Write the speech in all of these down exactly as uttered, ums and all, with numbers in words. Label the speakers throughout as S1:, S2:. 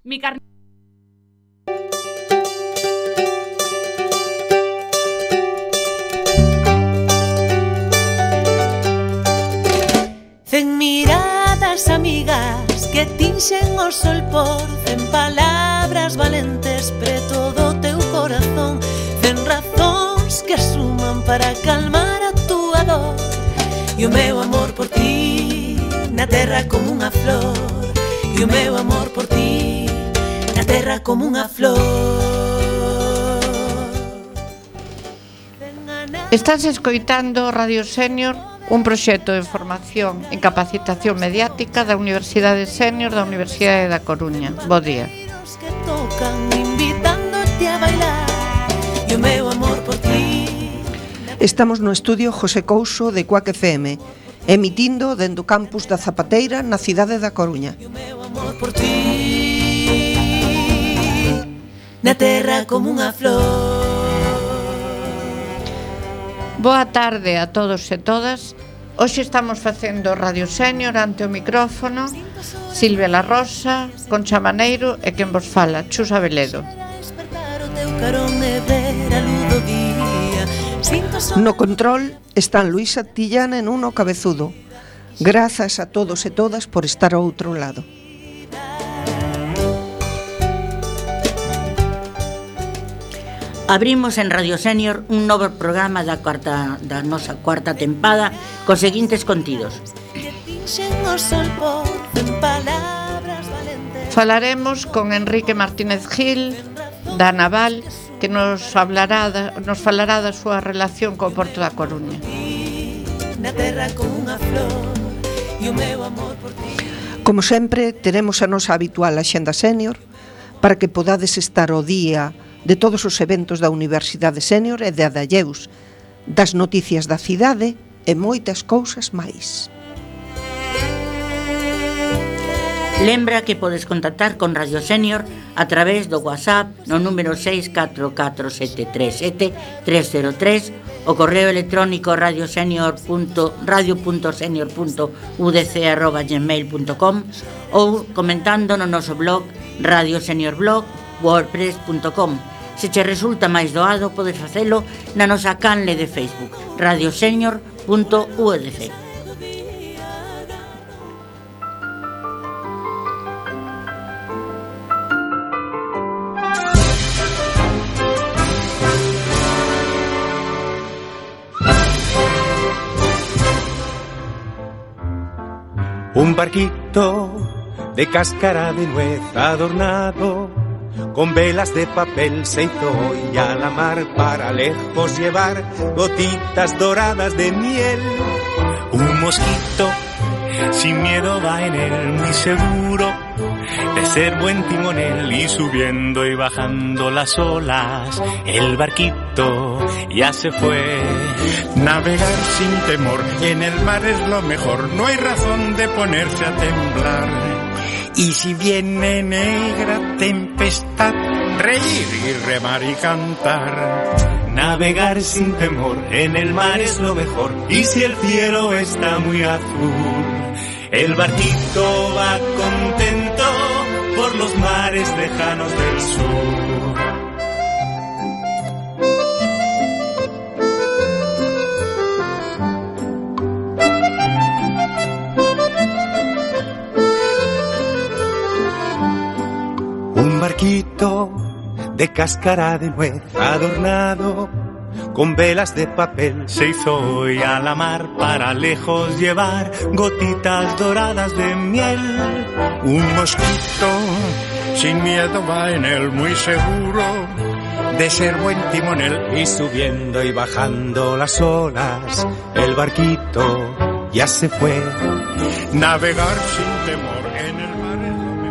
S1: Mi carne.
S2: Cen miradas amigas que tinxen o sol por cen palabras valentes preto do teu corazón, cen razóns que suman para calmar a túa dor. E o meu amor por ti na terra como unha flor, e o meu amor por ti na terra como unha flor.
S3: Estás escoitando Radio Sénior, un proxecto de formación en capacitación mediática da Universidade Sénior da Universidade da Coruña. Bo día.
S4: Estamos no estudio José Couso de Cuac F M, emitindo dende o campus da Zapateira na cidade da Coruña.
S2: Na terra como unha flor.
S3: Boa tarde a todos e todas. Hoxe estamos facendo Radio Sénior ante o micrófono Silvia La Rosa, Concha Maneiro e quen vos fala, Chus Abeledo.
S4: No control están Luisa Tillana e Nuno Cabezudo. Grazas a todos e todas por estar ao outro lado.
S5: Abrimos en Radio Sénior un novo programa da cuarta da nosa cuarta tempada cos seguintes contidos.
S3: Falaremos con Enrique Martínez Gil da Naval, que nos hablará da, nos falará da súa relación co Porto da Coruña.
S4: Como sempre, teremos a nosa habitual axenda sénior para que podades estar ao día de todos os eventos da Universidade Sénior e de Adalleus, das noticias da cidade e moitas cousas máis.
S5: Lembra que podes contactar con Radio Sénior a través do WhatsApp no número seis catro catro sete tres sete tres cero tres, o correo electrónico radiosenior punto radio punto senior punto u d c arroba gmail punto com ou comentando no noso blog radio senior blog wordpress punto com. Se che resulta máis doado, podes facelo na nosa canle de Facebook, radiosenior punto u d c.
S6: Un barquito de cáscara de nuez adornado con velas de papel se hizo hoy a la mar para lejos llevar gotitas doradas de miel.
S7: Un mosquito sin miedo va en él, muy seguro de ser buen timonel, y subiendo y bajando las olas el barquito ya se fue.
S8: Navegar sin temor en el mar es lo mejor, no hay razón de ponerse a temblar. Y si viene negra tempestad, reír y remar y cantar.
S7: Navegar sin temor en el mar es lo mejor, y si el cielo está muy azul, el barquito va contento por los mares lejanos del sur.
S6: Un barquito de cáscara de nuez adornado con velas de papel
S7: se hizo hoy a la mar para lejos llevar gotitas doradas de miel.
S8: Un mosquito sin miedo va en él, muy seguro de ser buen timonel.
S6: Y subiendo y bajando las olas el barquito ya se fue.
S8: Navegar sin temor en el mar es lo mejor.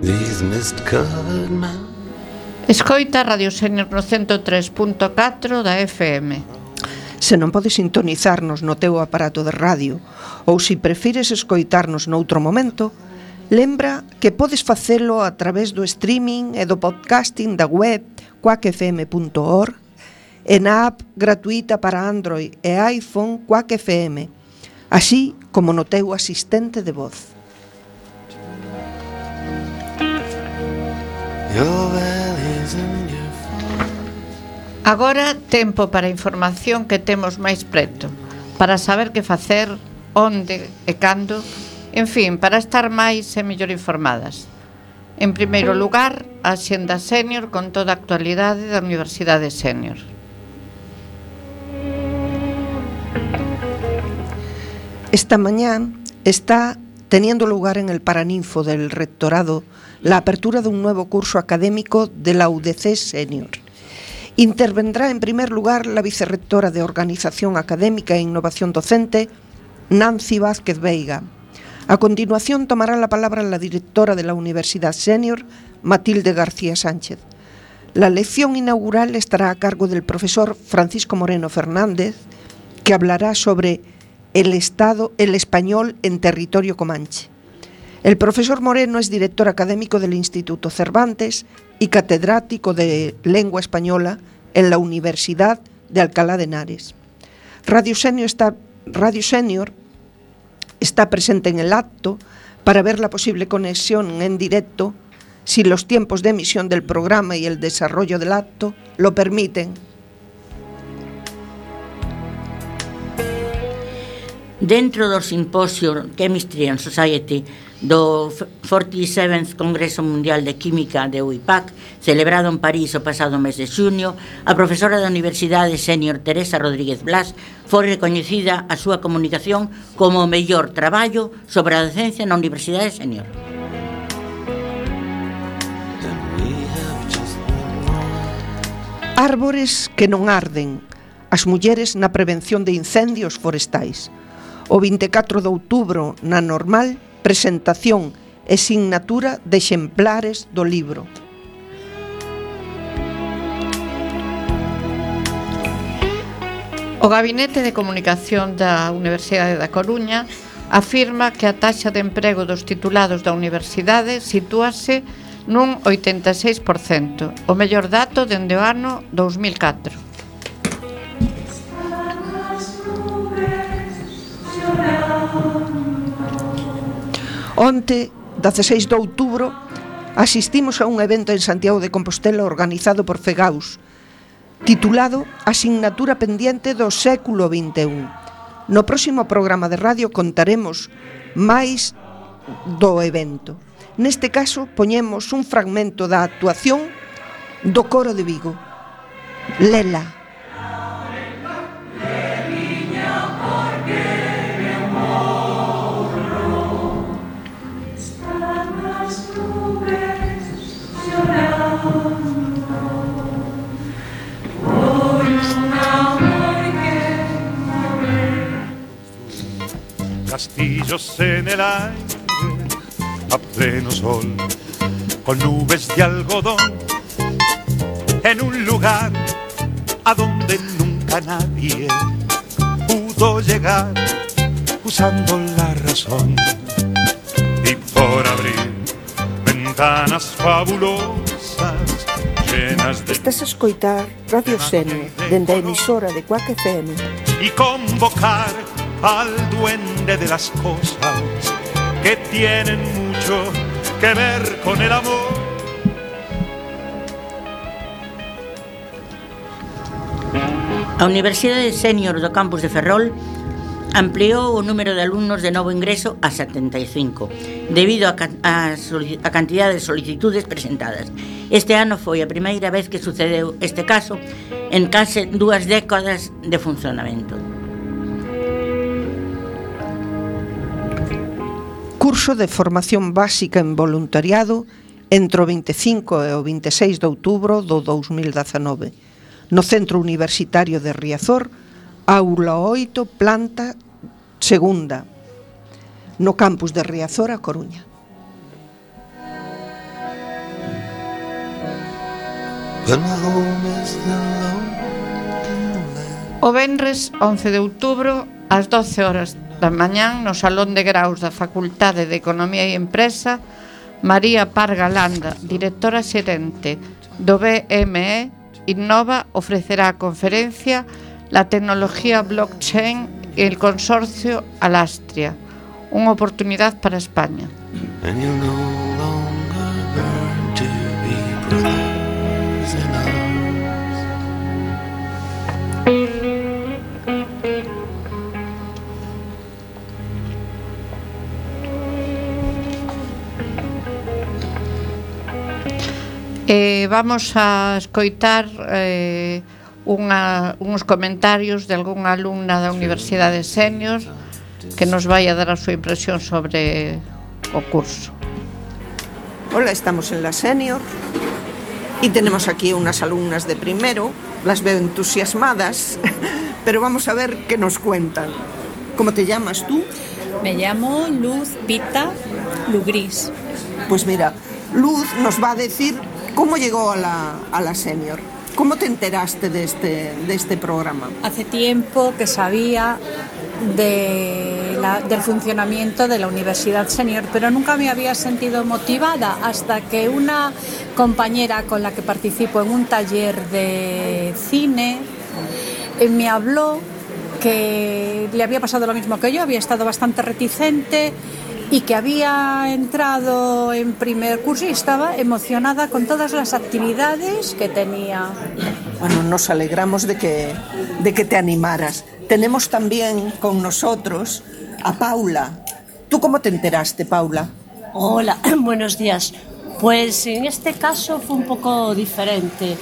S6: These mist-covered mountains
S3: Escoita Radio Senior no ciento tres punto catro da F M.
S4: Se non podes sintonizarnos no teu aparato de radio ou se prefires escoitarnos noutro momento, lembra que podes facelo a través do streaming e do podcasting da web quack f m punto org e na app gratuita para Android e iPhone Quack F M, así como no teu asistente de voz.
S3: Agora tempo para a información que temos máis preto, para saber que facer, onde e cando, en fin, para estar máis e mellor informadas. En primeiro lugar, a Axenda Senior con toda a actualidade da Universidade Senior.
S4: Esta mañá está teniendo lugar en el Paraninfo del Rectorado la apertura de un nuevo curso académico de la U D C Senior. Intervendrá en primer lugar la vicerrectora de Organización Académica e Innovación Docente, Nancy Vázquez Veiga. A continuación tomará la palabra la directora de la Universidad Senior, Matilde García Sánchez. La lección inaugural estará a cargo del profesor Francisco Moreno Fernández, que hablará sobre el Estado, el español en territorio comanche. El profesor Moreno es director académico del Instituto Cervantes y catedrático de Lengua Española en la Universidad de Alcalá de Henares. Radio Senior está, Radio Senior está presente en el acto para ver la posible conexión en directo, si los tiempos de emisión del programa y el desarrollo del acto lo permiten.
S5: Dentro do simposio Chemistry and Society do cuarenta e sétimo Congreso Mundial de Química de U I P A C, celebrado en París o pasado mes de xunio, a profesora da Universidade Senior Teresa Rodríguez Blas foi recoñecida a súa comunicación como o mellor traballo sobre a docencia na Universidade Senior.
S4: Árbores que non arden, as mulleres na prevención de incendios forestais. O vinte e catro de outubro, na Normal, presentación e signatura de exemplares do libro.
S3: O Gabinete de Comunicación da Universidade da Coruña afirma que a taxa de emprego dos titulados da universidade sitúase nun oitenta e seis por cento, o mellor dato dende o ano dous mil catro.
S4: Onte, dezasseis de outubro, asistimos a un evento en Santiago de Compostela organizado por FEGAUS, titulado Asignatura Pendiente do século vinte e un. No próximo programa de radio contaremos máis do evento. Neste caso, poñemos un fragmento da actuación do Coro de Vigo. Lela.
S1: Castillos en el aire, a pleno sol, con nubes de algodón, en un lugar a donde nunca nadie pudo llegar, usando la razón. Y por abrir ventanas fabulosas, llenas de...
S4: Estás a escoitar Radio Senior, dende a emisora de Quack F M.
S1: Y convocar al duende de las cosas que tienen mucho que ver con el amor.
S5: A Universidade Senior do Campus de Ferrol ampliou o número de alumnos de novo ingreso a setenta e cinco, debido a, a, a cantidade de solicitudes presentadas. Este ano foi a primeira vez que sucedeu este caso en case dúas décadas de funcionamento.
S4: Curso de formación básica en voluntariado entre o vinte e cinco e o vinte e seis de outubro do dous mil dezanove no Centro Universitario de Riazor, aula oito, planta segunda, no campus de Riazor, a Coruña.
S3: O venres once de outubro ás doce horas da mañán no Salón de Graus da Facultade de Economía e Empresa, María Parga Landa, directora xerente do B M E Innova, ofrecerá a conferencia La tecnología blockchain y el consorcio Alastria, unha oportunidade para España. And you no longer burn to be brothers in arms. Eh, vamos a escoitar eh, unha, uns comentarios de algunha alumna da Universidade Senior que nos vai a dar a súa impresión sobre o curso.
S4: Hola, estamos en la Senior y tenemos aquí unas alumnas de primero, las veo entusiasmadas, pero vamos a ver qué nos cuentan. ¿Cómo te llamas tú?
S9: Me llamo Luz Pita Lugris.
S4: Pues mira, Luz nos va a decir cómo llegó a la, a la Senior. ¿Cómo te enteraste de este, de este programa?
S9: Hace tiempo que sabía de la, del funcionamiento de la Universidad Senior, pero nunca me había sentido motivada hasta que una compañera con la que participo en un taller de cine eh, me habló que le había pasado lo mismo que yo, había estado bastante reticente y que había entrado en primer curso y estaba emocionada con todas las actividades que tenía.
S4: Bueno, nos alegramos de que, de que te animaras. Tenemos también con nosotros a Paula. ¿Tú cómo te enteraste, Paula?
S10: Hola, buenos días. Pues en este caso fue un poco diferente.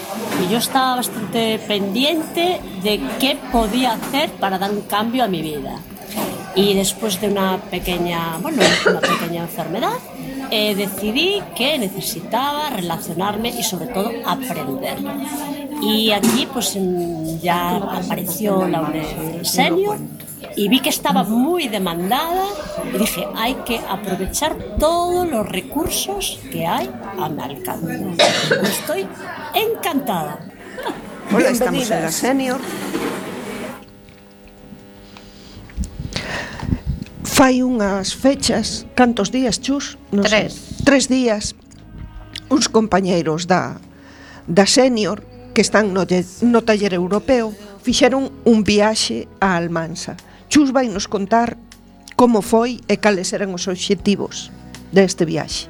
S10: Yo estaba bastante pendiente de qué podía hacer para dar un cambio a mi vida. Y después de una pequeña, bueno, una pequeña enfermedad, eh, decidí que necesitaba relacionarme y sobre todo aprender. Y aquí pues ya apareció la Universidad Senior y vi que estaba muy demandada y dije, hay que aprovechar todos los recursos que hay a mi alcance. Estoy encantada.
S4: Hola, estamos en la Senior. Fai unhas fechas, cantos días, Chus?
S3: No tres.
S4: Sé, tres días, uns compañeiros da, da Senior que están no, no taller europeo fixeron un viaxe a Almansa. Chus vai nos contar como foi e cales eran os obxectivos deste viaxe.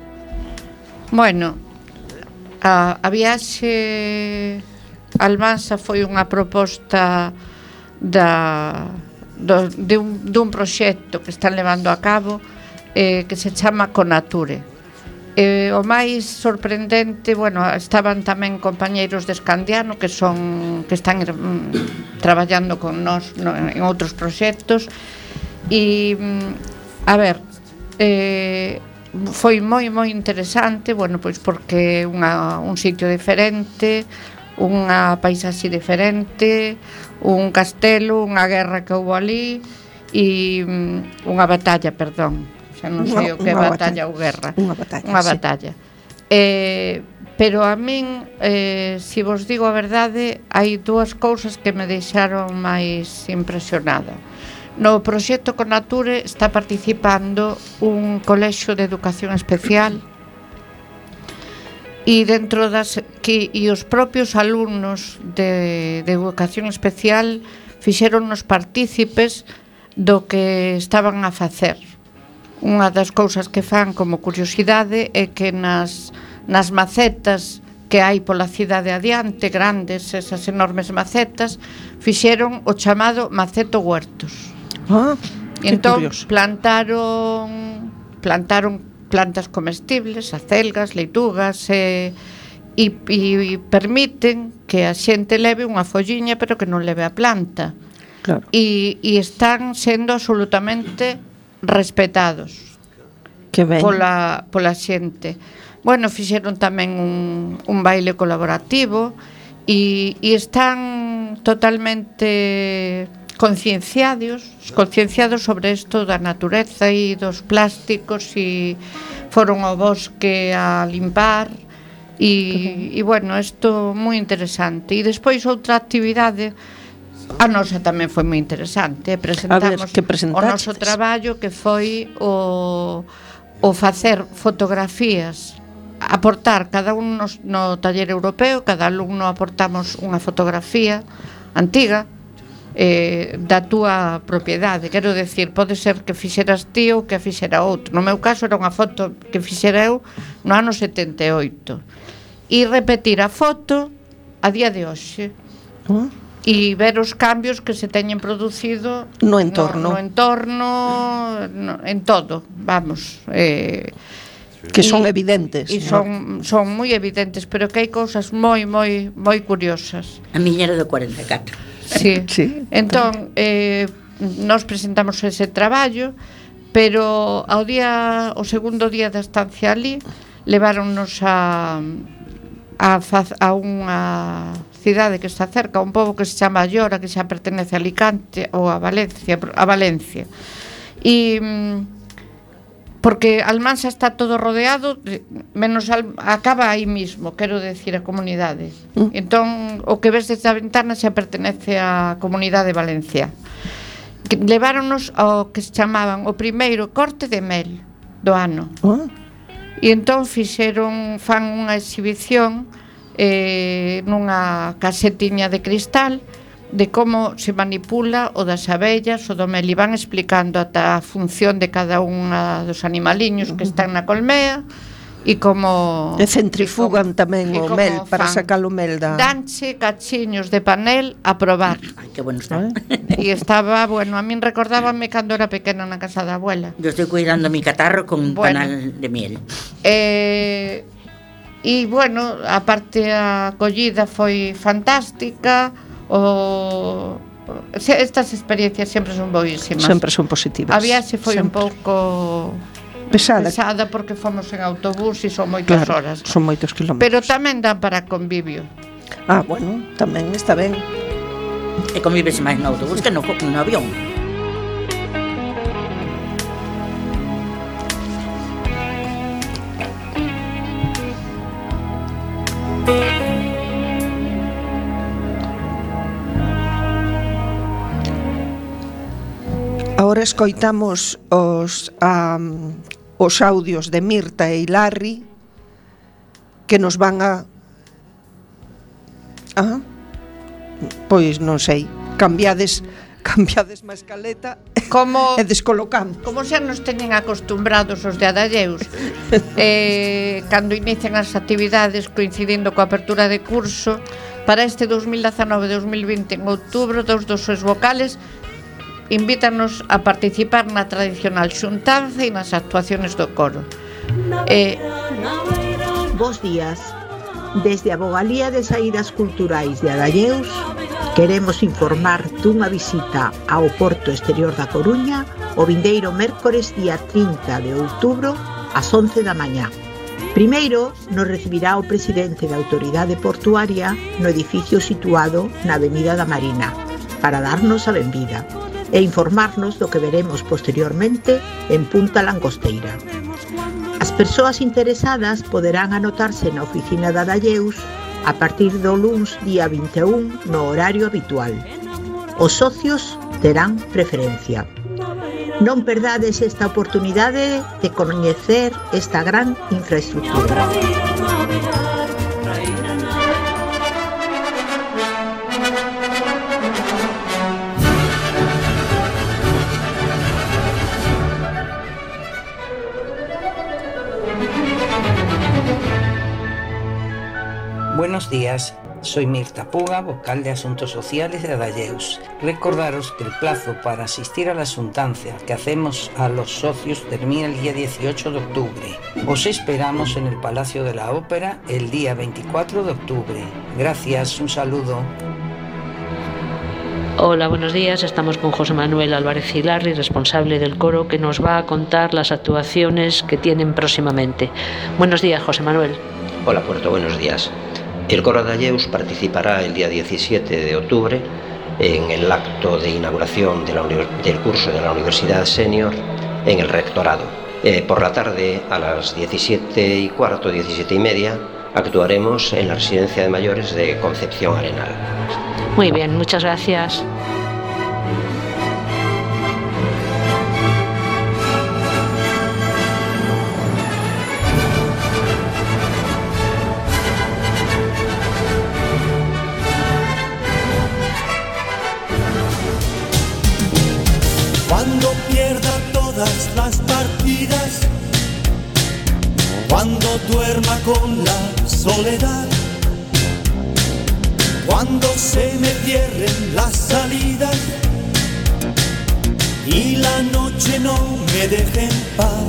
S3: Bueno, a, a viaxe a Almansa foi unha proposta da... Do, de un, dun proxecto que están levando a cabo eh, que se chama Conature. Eh, o máis sorprendente, bueno, estaban tamén compañeiros de Escandiano que son que están mm, traballando con nós no, en outros proxectos e mm, a ver eh, foi moi moi interesante, bueno, pois porque unha, un sitio diferente, unha paisaxe diferente, un castelo, unha guerra que houve ali e um, unha batalla, perdón, xa non sei o que é batalla ou guerra,
S4: unha batalla,
S3: unha batalla. Sí. Eh, pero a min, eh, se vos digo a verdade, hai dúas cousas que me deixaron máis impresionada. No proxecto Conature está participando un colexio de educación especial e dentro das que e os propios alumnos de, de educación especial fixeronnos partícipes do que estaban a facer. Unha das cousas que fan como curiosidade é que nas, nas macetas que hai pola cidade adiante, grandes, esas enormes macetas, fixeron o chamado maceto huertos.
S4: Ah,
S3: e entón curioso. plantaron plantaron plantas comestibles, acelgas, leitugas e, e, e permiten que a xente leve unha folliña pero que non leve a planta.
S4: Claro.
S3: E, e están sendo absolutamente respetados
S4: que ben.
S3: pola, pola xente. Bueno, fixeron tamén un, un baile colaborativo e, e están totalmente concienciados, concienciados sobre isto da natureza e dos plásticos e foron ao bosque a limpar E, e bueno, isto moi interesante. E despois outra actividade, a nosa tamén foi moi interesante. Presentamos
S4: ver, que
S3: o noso traballo, que foi o, o facer fotografías, aportar cada un no, no taller europeo, cada alumno aportamos unha fotografía antiga, eh, da túa propiedade. Quero decir, pode ser que fixeras ti ou que a fixera outro. No meu caso era unha foto que fixera eu no ano setenta e oito, e repetir a foto a día de hoxe, uh. e ver os cambios que se teñen producido
S4: no entorno,
S3: no, no entorno no, en todo, vamos, eh,
S4: que son e, evidentes,
S3: e son, ¿no? son moi evidentes, pero que hai cousas moi, moi, moi curiosas.
S5: A miña era do cuarenta e catro.
S3: Sí, sí. Entón, eh, nos presentamos ese traballo, pero ao día, o segundo día da estancia ali, leváronnos a a, a unha cidade que está cerca, un pobo que se chama Llora, que xa pertenece a Alicante ou a Valencia, a Valencia. E porque Almansa está todo rodeado, menos al, acaba aí mismo, quero decir, a comunidade. Mm. Entón, o que ves desde a ventana xa pertenece á comunidade valenciana. Leváronos ao que se chamaban o primeiro corte de mel do ano. Oh. E entón fixeron, fan unha exhibición eh, nunha casetiña de cristal de como se manipula o das abellas, o do mel, e van explicando ata a función de cada unha dos animaliños que están na colmea, e como
S4: e centrifugan e como, tamén o mel para sacar o mel da...
S3: Danche cachiños de panel a probar.
S5: Ai, que bueno está.
S3: E estaba, bueno, a min recordábame cando era pequena na casa da abuela.
S5: Yo estoy cuidando mi catarro con bueno, panal de miel.
S3: Eh, e, bueno, a parte a acollida foi fantástica, o... estas experiencias sempre son boísimas.
S4: Sempre son positivas.
S3: A viaxe foi sempre. un pouco...
S4: Pesada.
S3: pesada porque fomos en autobús e son moitas
S4: claro,
S3: horas.
S4: Son moitos kilómetros.
S3: Pero tamén dan para convivio.
S4: Ah, bueno, tamén está ben.
S5: E convives máis no autobús que no, no avión.
S4: Ahora escoitamos os um, os audios de Mirta e Larry que nos van a ah, pois non sei, cambiades cambiades má escaleta
S3: como,
S4: e descolocamos.
S3: Como xa nos teñen acostumbrados os de Adalleus, eh, cando inician as actividades coincidindo coa apertura de curso, para este dos mil dezanove dos mil vinte en outubro, dos dos seus vocales invítanos a participar na tradicional xuntanza e nas actuaciones do coro. Eh...
S11: Bos días. Desde a Vogalía de Saídas Culturais de Adalleus queremos informar dunha visita ao Porto Exterior da Coruña o vindeiro mércores día trinta de outubro ás once da mañá. Primeiro nos recibirá o presidente da Autoridade Portuaria no edificio situado na Avenida da Marina para darnos a benvida e informarnos do que veremos posteriormente en Punta Langosteira. As persoas interesadas poderán anotarse na oficina da Adalleus a partir do luns día vinte e un no horario habitual. Os socios terán preferencia. Non perdades esta oportunidade de coñecer esta gran infraestructura.
S12: Buenos días, soy Mirta Puga, vocal de Asuntos Sociales de Adalleus. Recordaros que el plazo para asistir a la asuntancia que hacemos a los socios termina el día dieciocho de octubre. Os esperamos en el Palacio de la Ópera el día veinticuatro de octubre. Gracias, un saludo.
S13: Hola, buenos días. Estamos con José Manuel Álvarez Hilarri, responsable del coro, que nos va a contar las actuaciones que tienen próximamente. Buenos días, José Manuel.
S14: Hola, Puerto, buenos días. El coro de Adalleus participará el día diecisiete de octubre en el acto de inauguración de la del curso de la Universidad Senior en el Rectorado. Eh, por la tarde, a las diecisiete y cuarto, diecisiete y media, actuaremos en la residencia de mayores de Concepción Arenal.
S13: Muy bien, muchas gracias.
S15: Cuando pierda todas las partidas, cuando duerma con la soledad, cuando se me cierren las salidas y la noche no me deje en paz.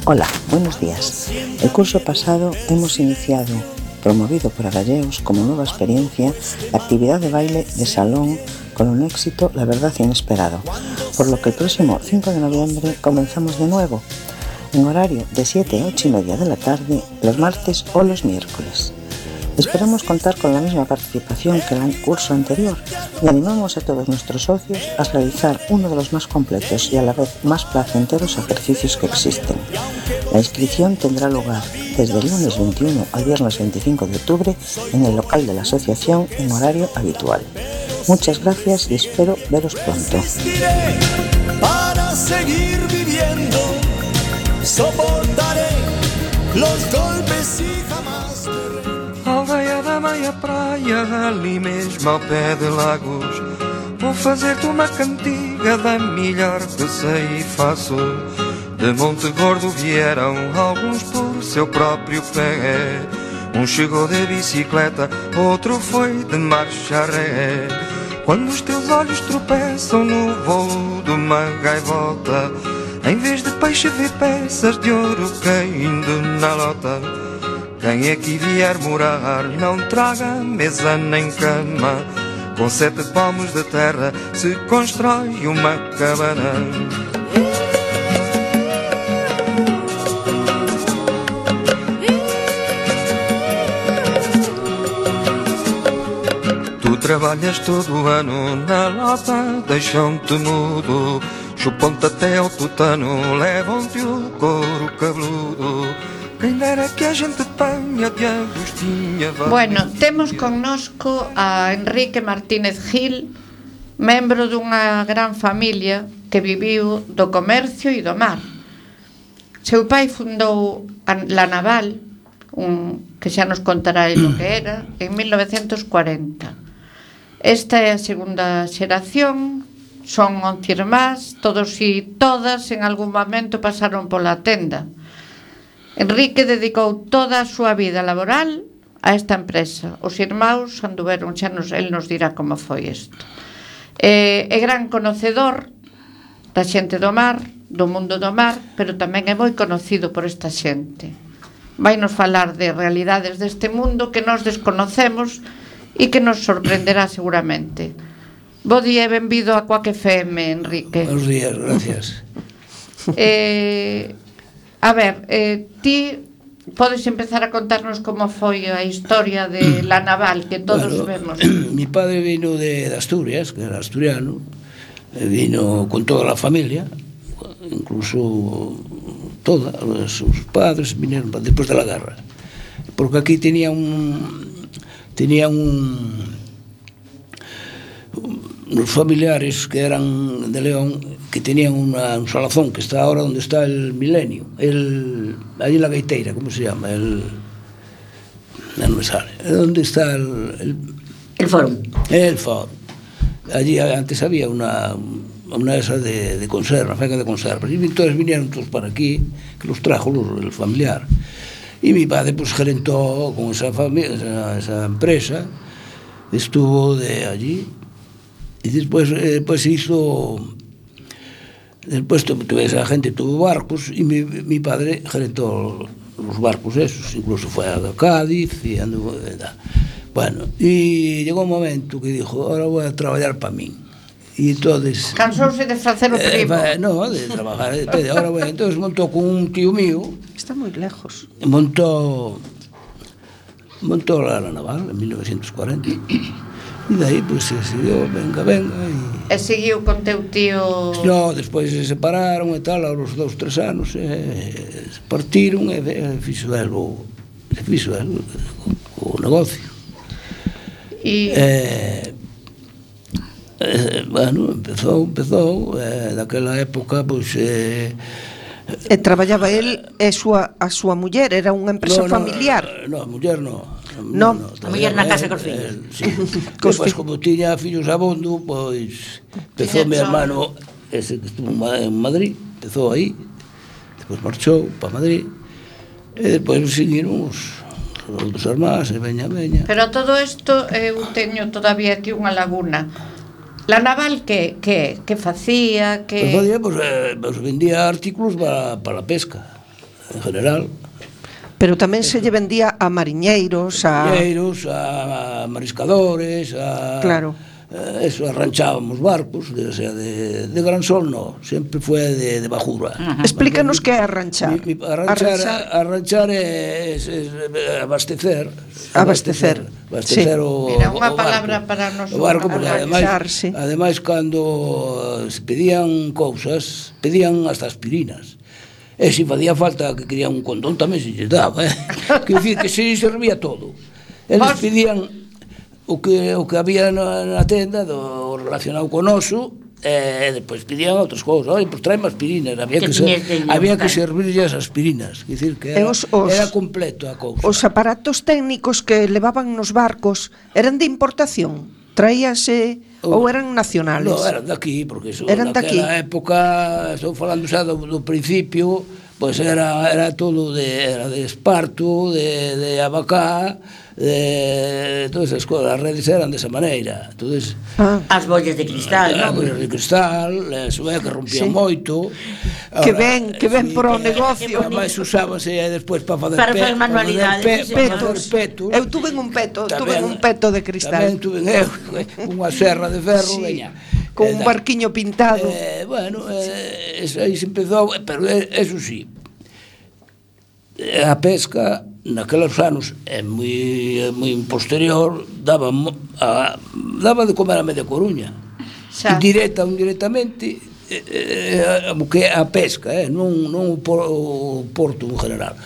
S16: Hola, buenos días. El curso pasado hemos iniciado, promovido por Adalleus como nueva experiencia, la actividad de baile de salón con un éxito, la verdad, inesperado, por lo que el próximo cinco de noviembre comenzamos de nuevo, en horario de siete a ocho y media de la tarde, los martes o los miércoles. Esperamos contar con la misma participación que el curso anterior y animamos a todos nuestros socios a realizar uno de los más completos y a la vez más placenteros ejercicios que existen. La inscripción tendrá lugar desde el lunes veintiuno al viernes veinticinco de octubre en el local de la asociación en horario habitual. Muchas gracias y espero veros pronto.
S15: Para seguir viviendo, soportaré los golpes y jamás me...
S17: Aldeia da meia praia, ali mesmo ao pé de Lagos, vou fazer-te uma cantiga da melhor que sei e faço. De Monte Gordo vieram alguns por seu próprio pé. Um chegou de bicicleta, outro foi de marcha ré. Quando os teus olhos tropeçam no voo de uma gaivota, em vez de peixe vê peças de ouro caindo na lota. Quem aqui vier morar não traga mesa nem cama, com sete palmos de terra se constrói uma cabana. Tu trabalhas todo o ano na lota, deixam-te mudo, chupam-te até ao tutano, levam-te o couro cabeludo. Quem dera que a gente tenha de Agostinha.
S3: Bueno, temos connosco a Enrique Martínez Gil, membro dunha gran familia que viviu do comercio e do mar. Seu pai fundou La Naval, un, que xa nos contará el o que era, en mil novecientos cuarenta. Esta é a segunda xeración, son once irmás, todos e todas en algún momento pasaron pola tenda. Enrique dedicou toda a súa vida laboral a esta empresa. Os irmáns anduveron, xa nos, el nos dirá como foi isto. É, é gran conocedor da xente do mar, do mundo do mar, pero tamén é moi conocido por esta xente. Vai nos falar de realidades deste mundo que nos desconocemos e que nos sorprenderá seguramente. Bo día e benvido a Quack F M, Enrique.
S18: Buenos días, gracias.
S3: Eh... A ver, eh, ti podes empezar a contarnos como foi a historia de La Naval, que todos bueno, vemos.
S18: Mi padre vino de, de Asturias, que era asturiano, vino con toda la familia, incluso toda, sus padres vinieron después de la guerra, porque aquí tenía un, tenía un, unos familiares que eran de León, que tenían una, un salazón que está ahora donde está el Milenio, el, allí en la Gaiteira, ¿cómo se llama? El, no me sale, ¿dónde está el, el,
S5: el Fórum?
S18: El Fórum. Allí antes había una, una esa de, de conserva, una fábrica de conservas, y entonces vinieron todos para aquí, que los trajo los, el familiar. Y mi padre pues gerentó con esa, familia, esa, esa empresa, estuvo de allí, y después eh, pues hizo... Después tuve esa gente, tuvo barcos y mi, mi padre gerentó los barcos esos, incluso fue a Cádiz y anduvo, bueno, y llegó un momento que dijo, ahora voy a trabajar para mí. Y entonces...
S3: Cansouse de hacer o primo.
S18: Eh, no, de trabajar, de, ahora voy, entonces montó con un tío mío.
S4: Está muy lejos.
S18: Montó, montó la, la Naval en mil novecientos cuarenta. E daí, pois, pues, se siguió, venga, venga
S3: e... E seguiu con teu tío...
S18: No, despois se separaron e tal, aos dous, tres anos, e se partiron e, e fixo elo, se fixo eh, o negocio.
S3: E...
S18: Eh, eh, bueno, empezou, empezou, eh, daquela época, pois... Eh,
S4: E traballaba el e súa, a súa muller, era unha empresa
S18: no, no,
S4: familiar.
S18: No, a muller no.
S4: No,
S18: no,
S5: a muller na casa cos fillos.
S18: Eh, sí. Pois como tiña fillos abondo, pois empezou meu hermano, ese que estuvo en Madrid, empezou aí, depois marchou para Madrid, e depois seguiron os outros irmáns, e veña, veña.
S3: Pero todo isto, eu teño todavía aquí unha laguna. La naval que que que facía, que
S18: Pues facía, pues, eh, pues vendía artículos para, para la pesca, en general.
S4: Pero tamén se lle vendía a mariñeiros, a...
S18: Mariñeiros, a mariscadores, a...
S4: Claro.
S18: Eh, eso, arranchábamos barcos, de, o sea, de, de gran sol no, sempre foi de, de bajura.
S4: Uh-huh. Explícanos que é arranchar.
S18: Mi, mi, arranchar, arranchar, arranchar é, es, es, abastecer.
S4: Abastecer.
S18: Abastecer
S4: sí.
S18: o,
S3: Mira, unha
S18: o
S3: palabra
S18: barco,
S3: para nos
S18: o barco, porque ademais,
S4: sí.
S18: ademais cando se pedían cousas, pedían hasta aspirinas. E se facía falta que querían un condón tamén se lles daba, eh? Quer dicir que se servía todo. Eles pedían o que o que había na, na tenda do relacionado con oso, e depois pedían outras cousas. Oi, pois traeme aspirinas, había que, que ser, había que servirlle as aspirinas, quer dicir que era, os, os, era completo a cousa.
S4: Os aparatos técnicos que levaban nos barcos eran de importación, traíase ou eran nacionales?
S18: No, eran daqui, porque eso
S4: eran
S18: naquela época, estou falando xa do, do principio, pois era, era todo de, era de esparto, de, de abacá, de todas esas cousas, as redes eran desa maneira. Entonces,
S5: ah. as bollas de cristal,
S18: as
S5: ¿no?
S18: bollas de cristal, eso é que rompían sí. moito.
S4: Que ven, que ven sí, por o negocio.
S18: Ademais usábase despois para fazer
S5: para fazer manualidades,
S18: pe, petos, petos.
S4: Eu tuve un peto, tuve un peto de cristal.
S18: Tamén tuve eu, unha serra de ferro, sí. veña.
S4: Con un barquiño pintado.
S18: Eh, bueno, eh, eso aí se empezou, pero eso sí, a pesca naqueles anos é moi, moi posterior, daba, a, daba de comer a media Coruña, directa ou indirectamente, eh, eh, que a pesca, eh, non, non o, por, o porto en general.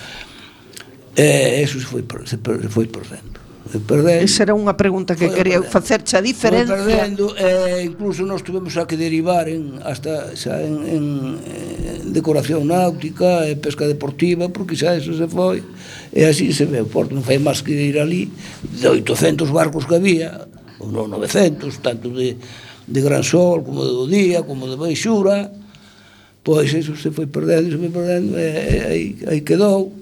S18: Eh, eso se foi, se foi perdendo. Perdendo.
S4: Esa era unha pregunta que quería facerche, a diferencia.
S18: Foi perdendo, eh, incluso nós tuvemos a que derivar en, hasta xa en, en, en decoración náutica e pesca deportiva, porque xa eso se foi, e así se ve o porto, non fai máis que ir ali, de oitocentos barcos que había, ou non novecentos, tanto de, de gran sol, como de do día, como de baixura, pois eso se foi perdendo, se foi perdendo, e, e aí, aí quedou,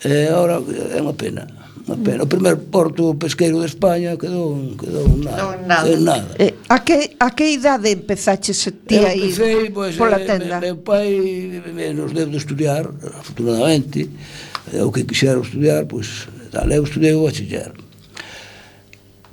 S18: e agora é unha pena. O primer porto pesqueiro de España quedou, quedou nada,
S3: no, nada.
S18: nada.
S4: Eh, a, que, a que idade empezaches ti a ir
S18: pues,
S4: pola tenda?
S18: Meu pai nos deu de estudiar, afortunadamente, o que quixera estudiar, pois, tal, eu estudei o bachiller.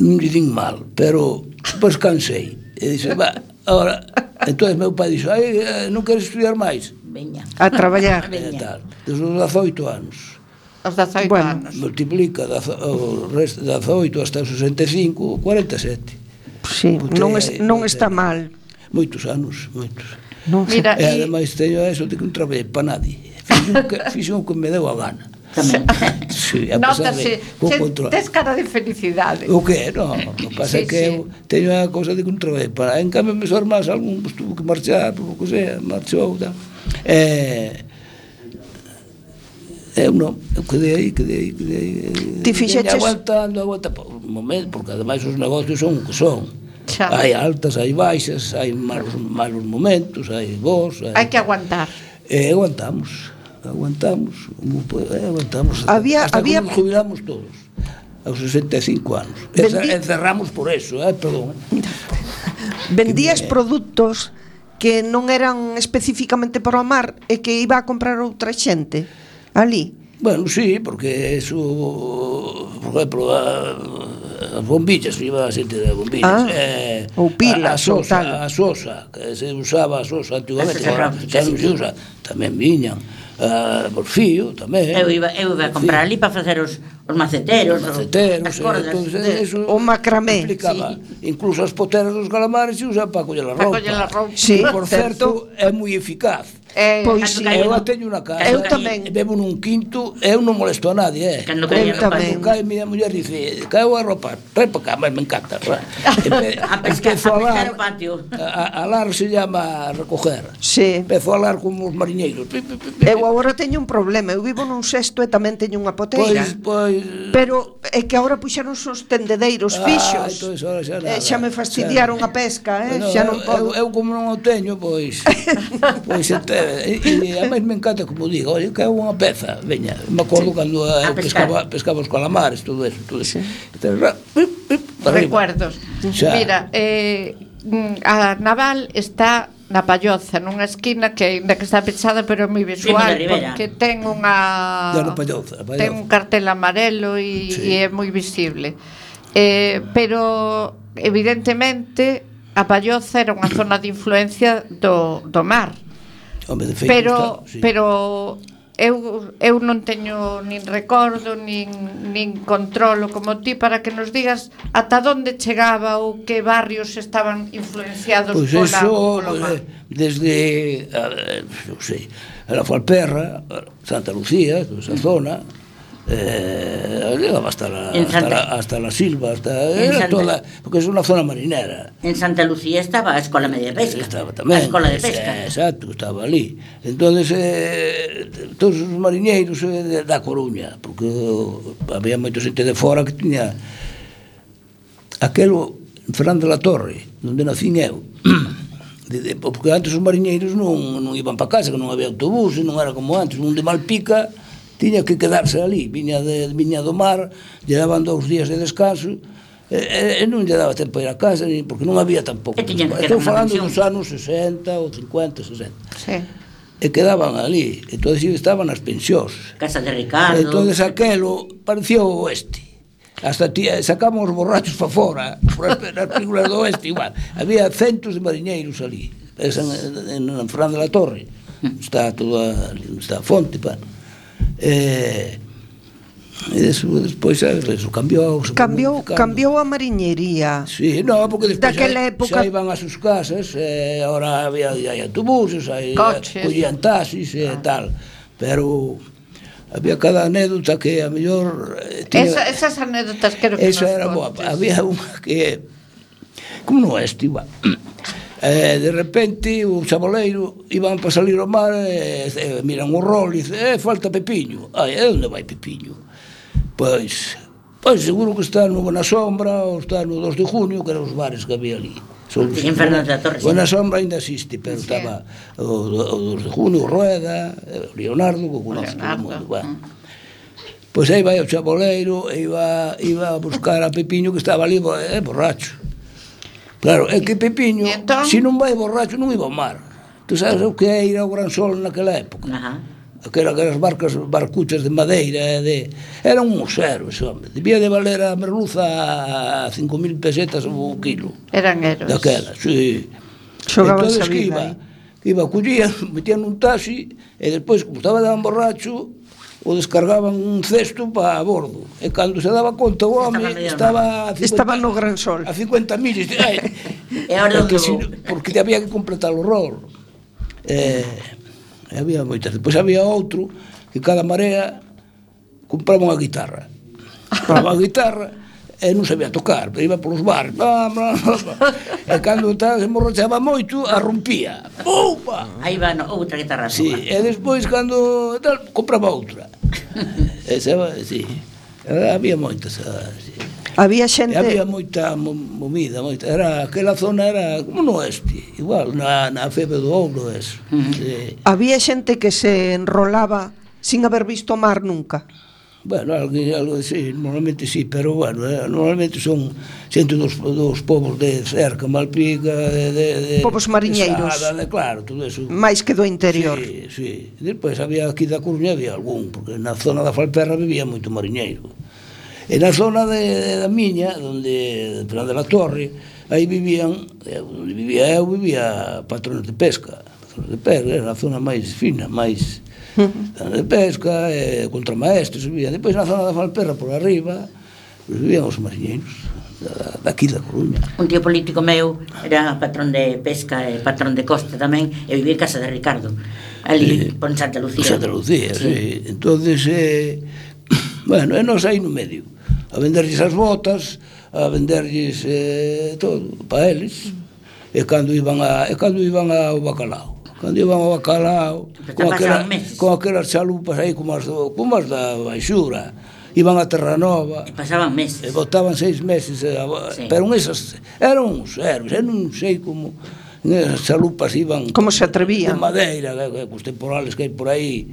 S18: Non lle din mal, pero pois cansei. E dixe, va, agora, entón meu pai dixo, ai, non queres estudiar máis?
S5: Veña.
S4: A traballar.
S18: E tal, desde os dezoito anos.
S3: Os dezoito
S4: bueno,
S3: anos.
S18: Multiplica o resto dezoito hasta os sesenta e cinco, cuarenta e sete.
S4: Sí, non, es, non está mal.
S18: Moitos anos, moitos.
S4: Non
S3: Mira,
S18: e ademais teño eso de que non traballei para nadie. Fixo o que me deu a gana.
S3: Sí, a pesar de tes cara de felicidade.
S18: O que? No, o que pasa é sí, que sí. eu teño a cousa de que non traballei para. En cambio, meus irmáns, algún pues, tuvo que marchar, por o que sea, marchou, tal. Eh, eu non, eu quedei aí, quedei aí, quedei aí.
S4: Ti fixeches?
S18: Aguantando, aguantando, por un momento, porque ademais os negocios son o que son. Xa. Hai altas, hai baixas, hai malos, malos momentos, hai bons.
S3: Hai, hai que aguantar.
S18: E eh, aguantamos, aguantamos, eh, aguantamos.
S4: Había,
S18: hasta
S4: había...
S18: que nos jubilamos todos, aos sesenta e cinco anos. Vendi... Encerramos por eso, eh, perdón.
S4: Vendías me... produtos que non eran especificamente para o mar e que iba a comprar outra xente ali.
S18: Bueno, sí, porque eso, por exemplo, a, as bombillas, iba a xente de bombillas.
S4: Ah,
S18: eh,
S4: ou pilas,
S18: a, a sosa,
S4: ou tal.
S18: a sosa, que se usaba a sosa antigamente, xa non se usa, tamén viñan. uh, por fío tamén.
S5: Eu iba, eu iba a comprar ali para facer os, os maceteros, os
S18: maceteros,
S5: as cordas,
S18: eh, eso
S4: o macramé.
S18: Implicaba, sí. Incluso as poteras dos calamares se usan para coller a roupa.
S3: Coller a roupa.
S18: Sí, por certo, é moi eficaz.
S3: Eh,
S4: pois
S18: sí, eu a teño na casa.
S4: Eu tamén.
S18: Bebo nun quinto, eu non molesto a nadie, eh.
S5: Cando cae a roupa.
S18: Cando cae, miña muller dice, caeu a roupa, trae para cá, mas me encanta.
S5: A pescar, a pescar o patio.
S18: A, a alar se llama recoger.
S4: Sí.
S18: Empezo a alar como os mariñeiros.
S4: Eu agora teño un problema, eu vivo nun sexto e tamén teño unha poteira.
S18: Pois, pois...
S4: Pero é que agora puxeron os tendedeiros
S18: ah,
S4: fixos.
S18: Entón, xa, nada,
S4: eh, xa me fastidiaron xa. A pesca, eh?
S18: No,
S4: xa non podo.
S18: Eu, eu como non o teño, pois... pois ente, e, e a máis me encanta, como digo, oye, que é unha peza, veña, me acordo sí. Cando eu pescaba, pescaba os calamares, todo eso, todo eso. Sí. Entonces,
S3: recuerdos. Xa. Mira, eh, a Naval está na Palloza, nunha esquina que ainda que está pechada, pero é moi visual, porque ten unha
S18: na Palloza, Palloza.
S3: Ten un cartel amarelo e, sí. e é moi visible. Eh, pero evidentemente a Palloza era unha zona de influencia do, do mar.
S18: Home, de feito,
S3: pero
S18: está, sí.
S3: pero eu eu non teño nin recordo nin nin controlo como ti para que nos digas ata onde chegaba ou que barrios estaban influenciados
S18: pues
S3: pola,
S18: eso,
S3: polo mar.
S18: Desde eh, non sei, a Falperra, Santa Lucía, esa zona, eh, llegaba hasta la, hasta, la, hasta la Silva, hasta era Santa, toda, porque es unha zona marinera.
S5: En Santa Lucía estaba a Escola Media de Pesca.
S18: Estaba tamén.
S5: A Escola de Pesca.
S18: Eh, exacto, estaba ali. Entonces, eh, todos os mariñeiros eh, da Coruña, porque había moita xente de fora que tiña aquelo Fernando de la Torre, onde nacín eu. De, de, porque antes os mariñeiros non, non iban para casa, que non había autobús, non era como antes, un de Malpica tiña que quedarse ali, viña, de, viña do mar, lle daban dous días de descanso, e, e non lle daba tempo a ir a casa, porque non había tampouco. Estou falando dos anos sesenta ou cincuenta, sesenta.
S3: Sí.
S18: E quedaban ali, entón estaban nas pensións.
S5: Casa de Ricardo.
S18: Entón aquelo parecía o oeste. Hasta tía, sacamos os borrachos para fora, por as películas do oeste igual. Había centos de mariñeiros ali, en, en, en Fran de la Torre. Está toda, está a fonte, pa. Eh, e eso, despois eso cambiou,
S4: cambiou, cambiou a mariñería.
S18: Sí, no, porque despois
S4: daquela
S18: xa,
S4: época
S18: xa iban a sus casas, eh, ahora había hai autobuses, hai collían taxis e eh, tal, pero había cada anécdota que a mellor eh, tiña,
S3: Esa, esas anécdotas creo que
S18: esa era boa. Había unha que como no este igual. Eh, de repente o chaboleiro iban para salir ao mar e eh, miran o rol e dice, eh, falta Pepiño. Ai, e onde vai Pepiño? Pois, pois seguro que está no Buena Sombra ou está no dos de junio, que eran os bares que había ali.
S5: En Fernández da Torre.
S18: Buena Sombra ainda existe, pero sí. Estaba o, o dos de junio, o Rueda, o Leonardo, que conoce todo o mundo. Bueno. Pois aí vai o chaboleiro e iba, iba a buscar a Pepiño, que estaba ali eh, borracho. Claro, é que Pepiño, entón? Se non vai borracho, non iba ao mar. Tu sabes o que é ir ao Gran Sol naquela época?
S5: Ajá.
S18: Aquelas barcas, barcuchas de madeira, de... era un musero ese hombre. Debía de valer a merluza a cinco mil pesetas o kilo.
S3: Eran héroes.
S18: Daquela, sí.
S4: Xogaban
S18: entonces que iba, iba, collían, metían un taxi, e despois, como estaba tan borracho, o descargaban un cesto para a bordo. E cando se daba conta o home estaba,
S4: estaba, estaba no Gran Sol
S18: a cincuenta millas.
S5: E ahora
S18: porque, si, porque te había que completar o rol. Eh, había moitas. Depois había outro que cada marea compraba unha guitarra. Compraba a guitarra e non sabía tocar, pero iba polos bares. Bla, bla, bla. E cando se emborrachaba moito, a rompía. Upa!
S5: Aí va no, outra guitarra.
S18: Sí, e despois cando tal, compraba outra. Esa, sí. Había moitas, sí.
S4: Había xente...
S18: Había moita movida, moita. Era, aquela zona era como no oeste, igual, na, na Febre do Ouro, eso. Uh -huh. Sí.
S4: Había xente que se enrolaba sin haber visto mar nunca.
S18: Bueno, algo, algo sí, normalmente sí, pero bueno, eh, normalmente son xente dos, dos povos de cerca, Malpica, de... de, de
S4: povos mariñeiros.
S18: De Sada, de, claro, todo eso.
S4: Mais que do interior.
S18: Sí, sí. Despois había aquí da Coruña, había algún, porque na zona da Falperra vivía moito mariñeiro. E na zona de, da miña, onde, de la Torre, aí vivían, onde vivía eu, vivía patrones de pesca. Patrones de pesca, era a zona máis fina, máis... de pesca, eh, contramaestres, vivían. Depois na zona da Falperra, por arriba, pues, vivían os mariñeiros da, daqui da Coruña.
S5: Un tío político meu era patrón de pesca e patrón de costa tamén, e vivía en casa de Ricardo, ali, eh, por Santa Lucía.
S18: Santa Lucía, sí. sí. Entonces, eh, bueno, e nos aí no medio, a venderlles as botas, a venderlles eh, todo, para eles, e cando iban, a, e cando iban ao bacalao. Cando iban ao bacalao, con, aquela, con aquelas chalupas aí como as, do, como as da Baixura, iban a Terranova.
S5: E pasaban meses.
S18: E botaban seis meses, e, sí. Pero esas eran uns héroes, eu non sei como esas chalupas iban...
S4: Como se atrevían.
S18: De madeira, cos temporales que hai por aí.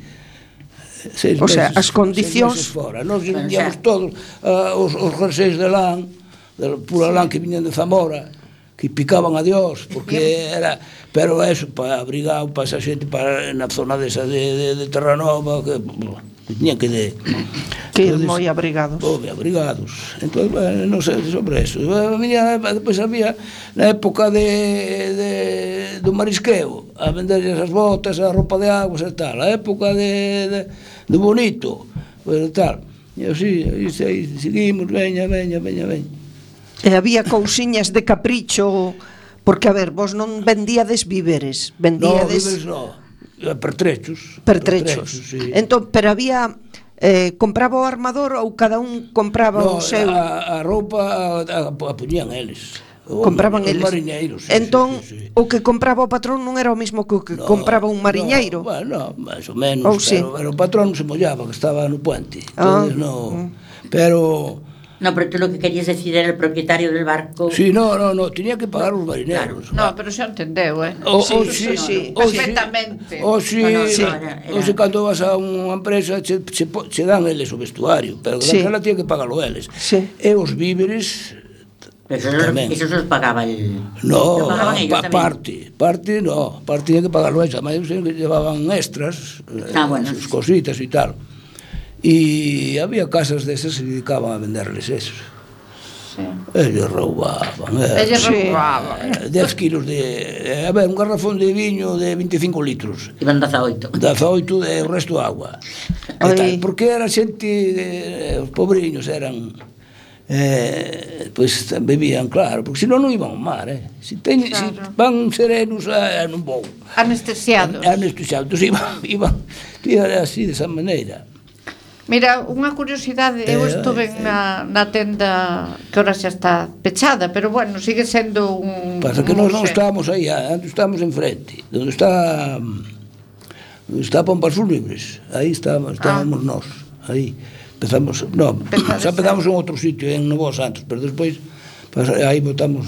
S18: Seis
S4: o sea,
S18: meses,
S4: as condicións...
S18: Seis meses fora. Nos vendíamos todos uh, os, os jerseis de lán, de pura lán que viñan de Zamora, que picaban a Dios, porque era, pero eso, para abrigar para esa xente, para na zona desa de, de, de Terranova, que, que tiñan que de...
S4: Que ir moi abrigados.
S18: Moi abrigados. Entón, bueno, non sei sobre eso. Depois había, na época de, de, do marisqueo, a vender esas botas, a roupa de aguas e tal, a época de, de, de bonito, pues, tal. E así, aí seguimos, veña, veña, veña, veña.
S4: E había cousiñas de capricho, porque, a ver, vos non vendíades víveres, vendíades...
S18: No, víveres no, pertrechos.
S4: Pertrechos.
S18: Sí.
S4: Entón, pero había... Eh, compraba o armador ou cada un compraba
S18: no,
S4: o seu?
S18: a, a roupa a, a, a poñían eles.
S4: Compraban
S18: os
S4: eles.
S18: Mariñeiros. Sí,
S4: entón,
S18: sí, sí, sí.
S4: O que compraba o patrón non era o mismo que o que
S18: no,
S4: compraba un mariñeiro?
S18: No, bueno, máis ou menos,
S4: ou
S18: pero,
S4: sí.
S18: pero o patrón non se mollaba, que estaba no puente. Entonces, ah, no, mm. Pero...
S5: No, pero tú lo que querías decir era el propietario del barco.
S18: Sí, no, no, no, tenía que pagar os marineros.
S3: Claro. No, pero xa entendeu, eh?
S18: O,
S3: sí,
S18: o,
S3: sí,
S18: sí,
S3: sí,
S18: o,
S3: perfectamente.
S18: O si,
S5: no, no,
S18: sí.
S5: no, era, era...
S18: o si cando vas a unha empresa che, che, che dan eles o vestuario, pero sí. Daquela tiene que pagalo eles.
S4: Sí.
S18: E os víveres
S5: pero eso se os pagaba el...
S18: No, pa, parte, parte no, parte tiene que pagarlo eles, además que llevaban extras,
S5: ah, bueno,
S18: sus cositas e tal. E había casas desas que se dedicaban a venderles eso.
S3: Sí.
S18: Ellos roubaban.
S3: Ellos sí. roubaban.
S18: dez kilos de... A ver, un garrafón de viño de veinticinco litros.
S5: Iban dezaoito.
S18: dezaoito de o resto de agua. Tal, porque era xente... De, os pobriños eran... Eh, pois pues, bebían, claro, porque senón non iban ao mar, eh. Si, ten, claro. Si van serenos, eh, non vou.
S3: Anestesiados.
S18: Anestesiados, iban, iban, iban así, desa maneira.
S3: Mira, unha curiosidade, eu estuve eh, na, na tenda que ahora xa está pechada, pero bueno, sigue sendo un...
S18: Pasa que nós non estábamos aí, antes estábamos enfrente, onde está onde está Pompas Fúnebres, aí estábamos, estábamos ah. nós, aí empezamos, non, xa empezamos en outro sitio, en Novo Santos, pero despois aí botamos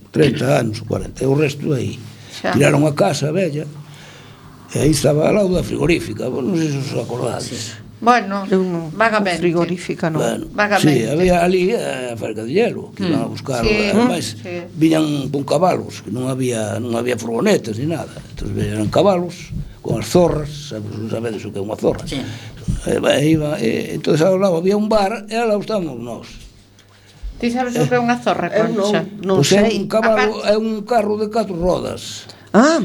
S18: trinta anos, cuarenta, e o resto aí, xa. Tiraron a casa bella, e aí estaba ao lado da frigorífica, non sei se os acordades. Sí.
S3: Bueno,
S4: no,
S3: vagamente.
S4: Frigorífica, non.
S18: Bueno,
S3: vagamente.
S18: Sí, había ali a fábrica de hielo, que mm. iban a buscar, sí, además, sí. Viñan con cabalos, que non había non había furgonetas ni nada. Entón, eran cabalos con as zorras, sabes, non sabedes o que é unha zorra.
S5: Sí.
S18: E, iba, e, entón, ao lado había un bar, e ao lado estábamos nós.
S3: Ti sabes o que é unha zorra, Concha?
S4: Non, non
S18: pues
S4: sei.
S18: É un cabalo, é un carro de catro rodas.
S4: Ah,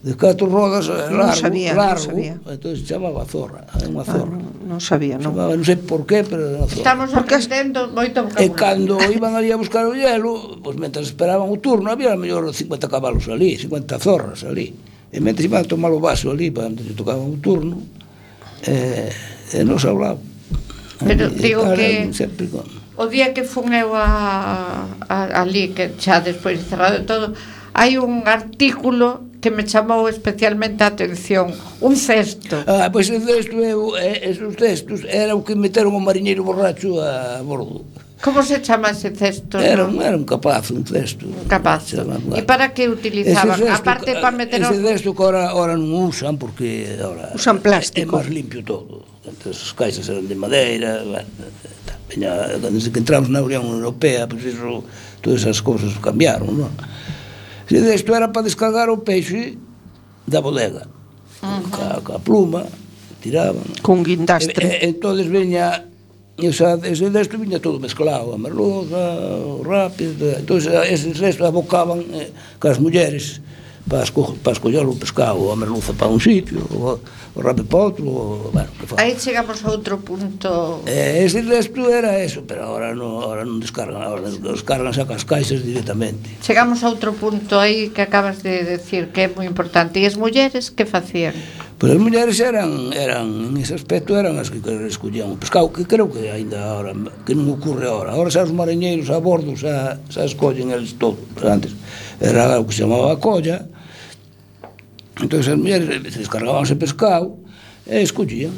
S18: de catro rodas largo,
S4: non sabía,
S18: largo,
S4: non sabía.
S18: Entón se chamaba zorra, é unha zorra.
S4: Ah, non, non sabía, non.
S18: Chamaba, non sei por qué, pero era zorra.
S3: Estamos aprendendo moito vocabulario.
S18: E cando iban ali a buscar o hielo, pois pues, mentras esperaban o turno, había a mellor cincuenta cabalos ali, cincuenta zorras ali. E mentras iban a tomar o vaso ali, para onde tocaban o turno, e, e nos hablaba.
S3: Pero e, digo e, que
S18: sempre con...
S3: o día que fun eu a, a, ali, que xa despois cerrado todo, hai un artículo que me chamou especialmente a atención, un cesto.
S18: Ah, pois pues, o cesto, eu, esos cestos, era o que meteron o mariñeiro borracho a bordo.
S3: Como se chama ese cesto?
S18: Era un, era un capazo, un cesto.
S3: Un capazo. E para que utilizaban?
S18: Cesto,
S3: aparte para meter...
S18: Ese cesto que ahora, ahora non usan, porque ahora
S4: usan plástico.
S18: É máis limpio todo. Entonces, as caixas eran de madeira, bueno, desde que entramos na Unión Europea, pois pues eso, todas esas cousas cambiaron, non? Isto era para descargar o peixe da bodega, uh-huh. ca, ca pluma, tiraban.
S4: Con guindastre.
S18: E, e, entón veña, esa, ese desto viña todo mezclado, a merluza, o rápido, entón ese resto abocaban eh, cas mulleres para, esco, para escoller o pescado, a merluza para un sitio, o, o rape para outro, o, bueno, que fa.
S3: Aí chegamos a outro punto.
S18: Eh, ese resto era eso, pero agora non, agora non descargan, agora descargan sacan as caixas directamente.
S3: Chegamos a outro punto aí que acabas de decir que é moi importante. E as mulleres que facían?
S18: Pois as mulleres eran, eran, en ese aspecto, eran as que escollían o pescado, que creo que ainda agora, que non ocorre agora. Agora xa os mariñeiros a bordo xa, xa escollen eles todo. Pero antes era o que se chamaba a colla. Entón as mulleres descargabanse pescado e escollían.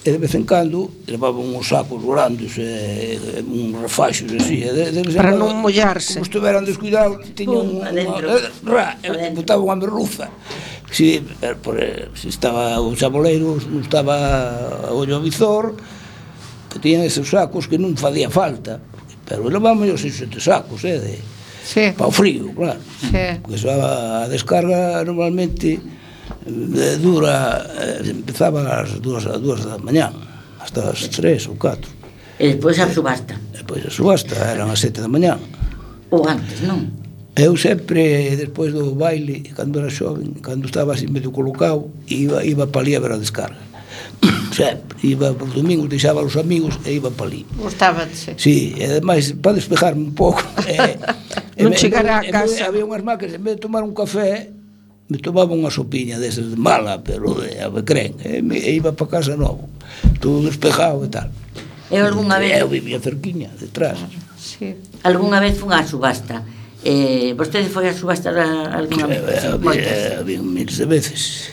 S18: E de vez en cando levaban uns sacos grandes, e, e uns refaxos así. E de, de
S4: para non mollarse.
S18: Como estiveran descuidados, tiñan unha, ra, e botaban unha merluza. Si, por, si estaba o chaboleiro, non estaba o ollo visor, que tiñan esos sacos que non facía falta, pero levamos os seis sete sacos, eh, de,
S3: sí.
S18: para o frío, claro.
S3: Sí.
S18: Porque eso, a descarga normalmente eh, dura, eh, empezaba ás dúas, ás dúas da mañá, hasta as tres ou catro.
S5: E despois a subasta.
S18: Depois a subasta eran as sete da mañá.
S5: Ou antes, non?
S18: Eu sempre, despois do baile, cando era xoven, cando estaba así medio colocado, iba, iba para ali a ver a descarga. Sempre, iba por domingos, deixaba os amigos e iba para ali.
S3: Gustabanse.
S18: Sí, e ademais, para despejarme un pouco. E,
S4: non chegar a casa.
S18: Había unhas máquinas, en vez de tomar un café, me tomaba unha sopiña desas de mala, pero de avecrén, e, me, e iba para casa novo, todo despejado e tal.
S5: E algunha vez...
S18: Eu vivía cerquiña, detrás.
S3: Sí.
S5: Algunha vez fun á subasta. Eh, vostede foi a subasta algunha vez?
S18: Sí, había, había miles de veces.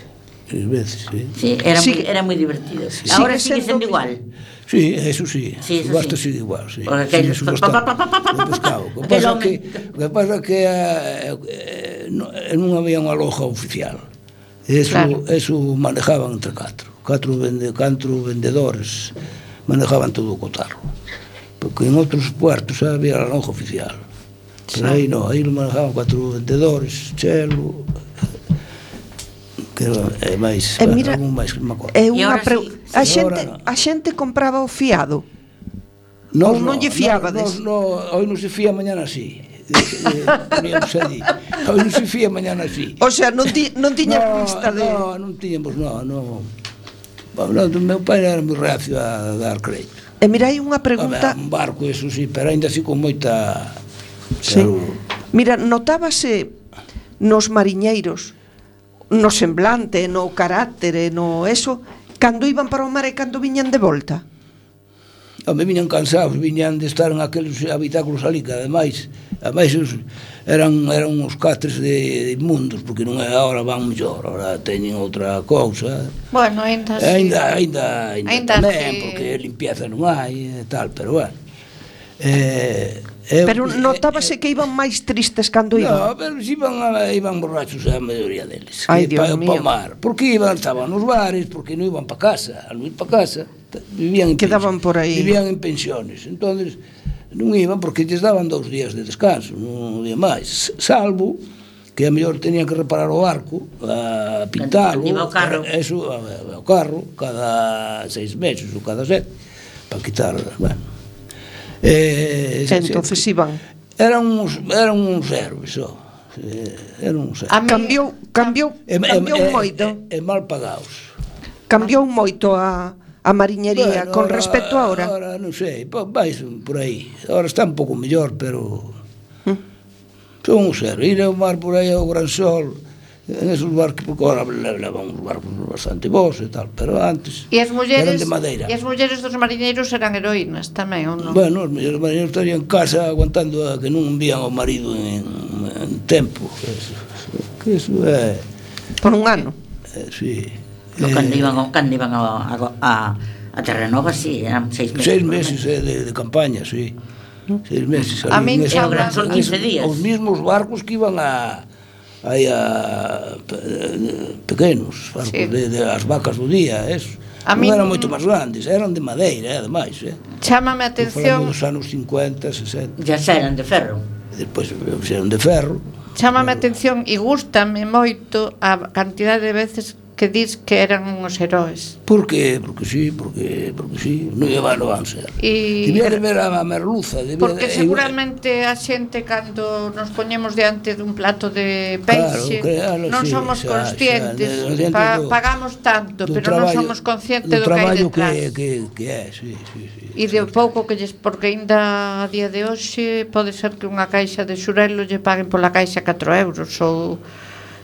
S18: Miles veces, sí.
S5: Sí, era, sí. Muy, era moi divertido. Sí. Ahora sigue sendo igual.
S18: Sí, eso sí.
S5: Sí, eso
S18: subasta
S5: sí.
S18: sigue igual, sí.
S5: Porque aquel...
S18: sí, subasta de pescado. O que pasa que, o que pasa que eh, eh, non, non había unha loja oficial. Eso, claro. Eso manejaban entre catro. Catro, vende, catro vendedores manejaban todo o cotarro. Porque en outros puertos había a loja oficial. Pero aí non, aí lo manejaban cuatro vendedores, chelo, que é máis,
S4: e mira,
S18: algún máis que me acordo.
S4: É unha pre... sí, a xente, no. a xente compraba o fiado.
S18: Nos,
S4: ou non lle fiabades?
S18: No, no, hoy non se fía, mañana sí. Poníamos allí. Hoy non se fía, mañana sí.
S4: O sea, non, ti, non tiñas no, vista de...
S18: No, non tiñamos, no, no. Bueno, o meu pai era moi reacio a dar crédito.
S4: E mira, hai unha pregunta...
S18: Un barco, eso sí, pero ainda así con moita...
S4: Sí. Claro. Mira, notábase nos mariñeiros, no semblante, no carácter, no eso, cando iban para o mar e cando viñan de volta?
S18: Me viñan cansados, viñan de estar en aqueles habitáculos ali, que ademais, ademais eran, eran uns catres de, de inmundos, porque non é agora van mellor, agora teñen outra cousa.
S3: Bueno, ainda
S18: sí. Ainda, ainda, ainda,
S3: ainda
S18: tamén,
S3: sí.
S18: Porque limpieza non hai e tal, pero bueno. Eh, Eu,
S4: pero notábase que iban máis tristes cando iban.
S18: No, pero iban, iban borrachos a maioría deles.
S4: Ai, Dios
S18: pa,
S4: mío.
S18: Pa mar. Porque iban, estaban nos bares, porque non iban para casa. Al non ir para casa, vivían en
S4: quedaban por aí.
S18: Vivían en pensiones. Entonces, non iban porque lles daban dous días de descanso, non había máis. Salvo que a mellor tenían que reparar o barco, a pintalo,
S5: o carro.
S18: Eso, o carro, cada seis meses ou cada sete, para quitar, bueno. Eh,
S4: entonces se, iban
S18: eran uns eran uns héroes, oh. Eran uns héroes.
S4: Cambiou, cambiou,
S18: e,
S4: cambiou
S18: e,
S4: moito.
S18: E, e mal pagados.
S4: Cambiou moito a a mariñería bueno, con ahora, respecto a ahora.
S18: Ahora non sei, vais por aí. Ahora está un pouco mellor, pero ¿Mm? Son uns héroes. Ir ao mar por aí ao gran sol. En esos barcos, porque agora levan uns barcos bastante bons e tal, pero antes
S3: e as mulleres,
S18: eran de madeira.
S3: E as mulleres dos mariñeiros eran heroínas tamén, ou non?
S18: Bueno, os mariñeiros estarían en casa aguantando a que non envían ao marido en, en tempo. Eso, que eso é...
S4: Por un ano?
S18: Eh, sí.
S5: No, eh, cando iban, cando iban a, a, a Terranova, sí, eran seis meses.
S18: Seis meses eh, de, de campaña, sí. Seis meses.
S3: A mí
S5: era o gran sol quince días.
S18: Os mismos barcos que iban a... hai a pequenos barcos, sí. de, de as vacas do día, eso. A non eran moito máis grandes, eran de madeira, ademais, eh.
S3: Chámame a atención.
S18: Dos anos cincuenta, sesenta.
S5: Ya eran de ferro.
S18: Despois eran de ferro.
S3: Chámame a atención e gústame moito a cantidade de veces que dis que eran uns heróis.
S18: Por qué? Porque sí, porque, porque sí, non llevan, non van ser.
S3: E...
S18: Debía de ver a merluza.
S3: Porque
S18: de...
S3: seguramente a xente, cando nos poñemos diante dun plato de peixe,
S18: claro, claro,
S3: non
S18: sí,
S3: somos
S18: xa,
S3: conscientes,
S18: xa,
S3: pa,
S18: do,
S3: pagamos tanto, pero
S18: traballo,
S3: non somos conscientes do, do que hai detrás.
S18: Que, que, que é, sí, sí, sí.
S3: E de pouco que lles, porque ainda a día de hoxe pode ser que unha caixa de xurelo lle paguen pola caixa catro euros ou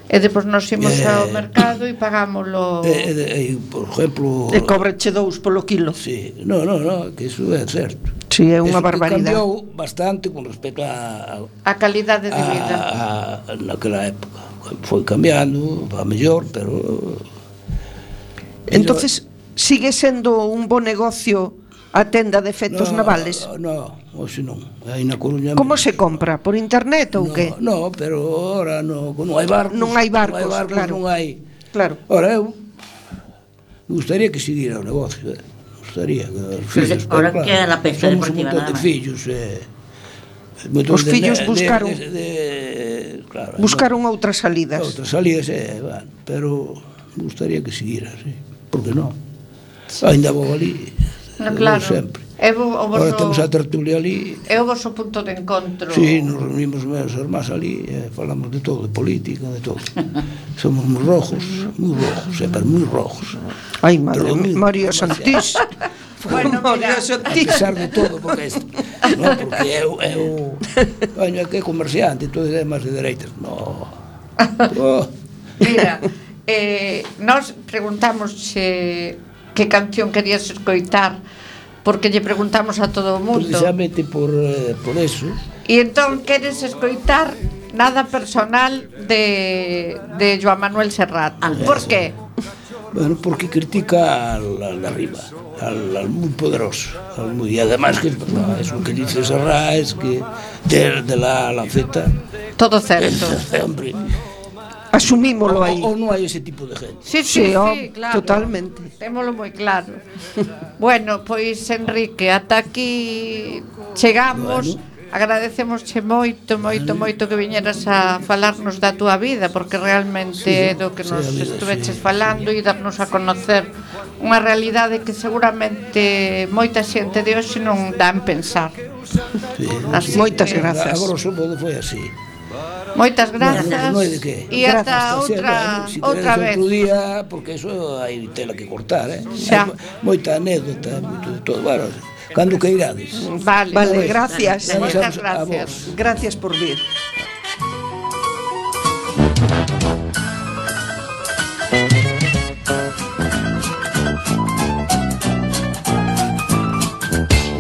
S3: e depois nos imos eh, ao mercado e pagámoslo.
S18: Eh, eh, eh, por exemplo,
S4: e cobreche dous polo quilo.
S18: Sí, no, no, no, que iso é certo.
S4: Sí, é unha
S18: eso
S4: barbaridade.
S18: Cambiou bastante con respecto a
S3: a calidade de vida.
S18: A, a, naquela época foi cambiando, va mellor, pero
S4: entonces sigue sendo un bo negocio a tenda de efectos
S18: no,
S4: navales?
S18: No, hoxe non. Aí na Coruña.
S4: Como se compra? Por internet ou
S18: no,
S4: que?
S18: No, pero ahora no, non hai barcos.
S4: Non hai barcos,
S18: non hai barcos,
S4: claro.
S18: Non hai.
S4: Claro.
S18: Ahora eu me gustaría que seguira o negocio, eh. Me gustaría que os fillos,
S5: ahora
S18: claro,
S5: queda la pesca
S18: somos
S5: deportiva
S18: un montón de fillos, eh.
S4: Os fillos de, buscaron
S18: de, de, de, claro,
S4: buscaron
S18: no,
S4: outras salidas.
S18: Outras salidas, eh, bueno, pero me gustaría que seguira, sí. Por que non? Ainda vou ali.
S3: No, claro.
S18: Sempre.
S3: É o, o voso,
S18: ahora temos a tertulia ali.
S3: É o voso punto de encontro.
S18: Sí, nos reunimos meus irmás ali, eh, falamos de todo, de política, de todo. Somos moi rojos, moi rojos, eh, pero moi rojos.
S4: Ai, madre, María Santís.
S3: Bueno,
S4: María Santís.
S18: A pesar de todo, porque isto, no, porque eu, eu, coño, que é comerciante, todo é máis de dereitas. No. Oh.
S3: Mira, eh, nós preguntamos se que canción querías escoitar, porque lle preguntamos a todo o mundo.
S18: Precisamente por, eh, por eso.
S3: E entón queres escoitar Nada personal de, de Joan Manuel Serrat. ¿Por qué?
S18: Bueno, porque critica al, al de arriba, al, al muy poderoso, al muy, y además que no, es lo que dice Serrat, es que de, de la lanceta.
S3: Todo certo.
S18: Eh, hombre.
S4: Asumímolo aí.
S18: O, o non hai ese tipo de gente.
S3: Sí, sí, sí,
S4: oh,
S3: sí, claro.
S4: Totalmente.
S3: Témolo moi claro. Bueno, pois Enrique, ata aquí chegamos. Bueno. Agradecemosche moito, moito, moito que viñeras a falarnos da túa vida, porque realmente é do que nos estuveches falando e darnos a conocer unha realidade que seguramente moita xente de hoxe non dá en pensar.
S18: Sí.
S4: Moitas que, grazas.
S18: A grosso modo foi así.
S3: Moitas grazas.
S18: No, no hai de que.
S3: E ata outra,
S18: si
S3: outra vez.
S18: Outro día, porque eso hai tela que cortar, eh?
S3: Xa.
S18: Moita anécdota, moito de todo. Bueno, cando que irades.
S3: Vale,
S4: vale, gracias.
S3: Moitas gracias.
S4: Gracias por vir.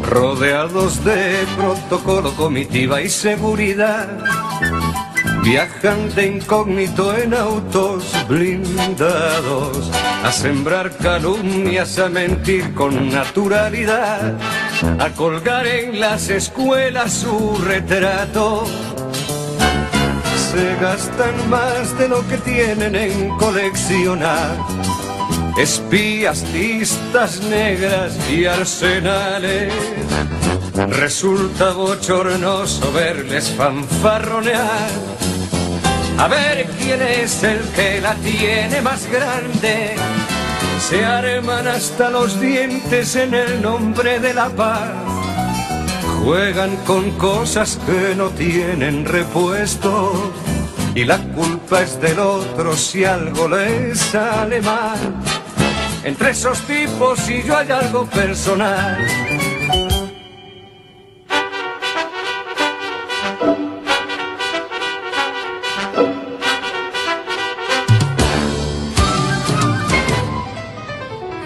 S19: Rodeados de protocolo, comitiva y seguridad, viajan de incógnito en autos blindados, a sembrar calumnias, a mentir con naturalidad, a colgar en las escuelas su retrato. Se gastan más de lo que tienen en coleccionar espías, listas negras y arsenales. Resulta bochornoso verles fanfarronear, a ver quién es el que la tiene más grande. Se arman hasta los dientes en el nombre de la paz, juegan con cosas que no tienen repuesto, y la culpa es del otro si algo les sale mal. Entre esos tipos y yo hay algo personal.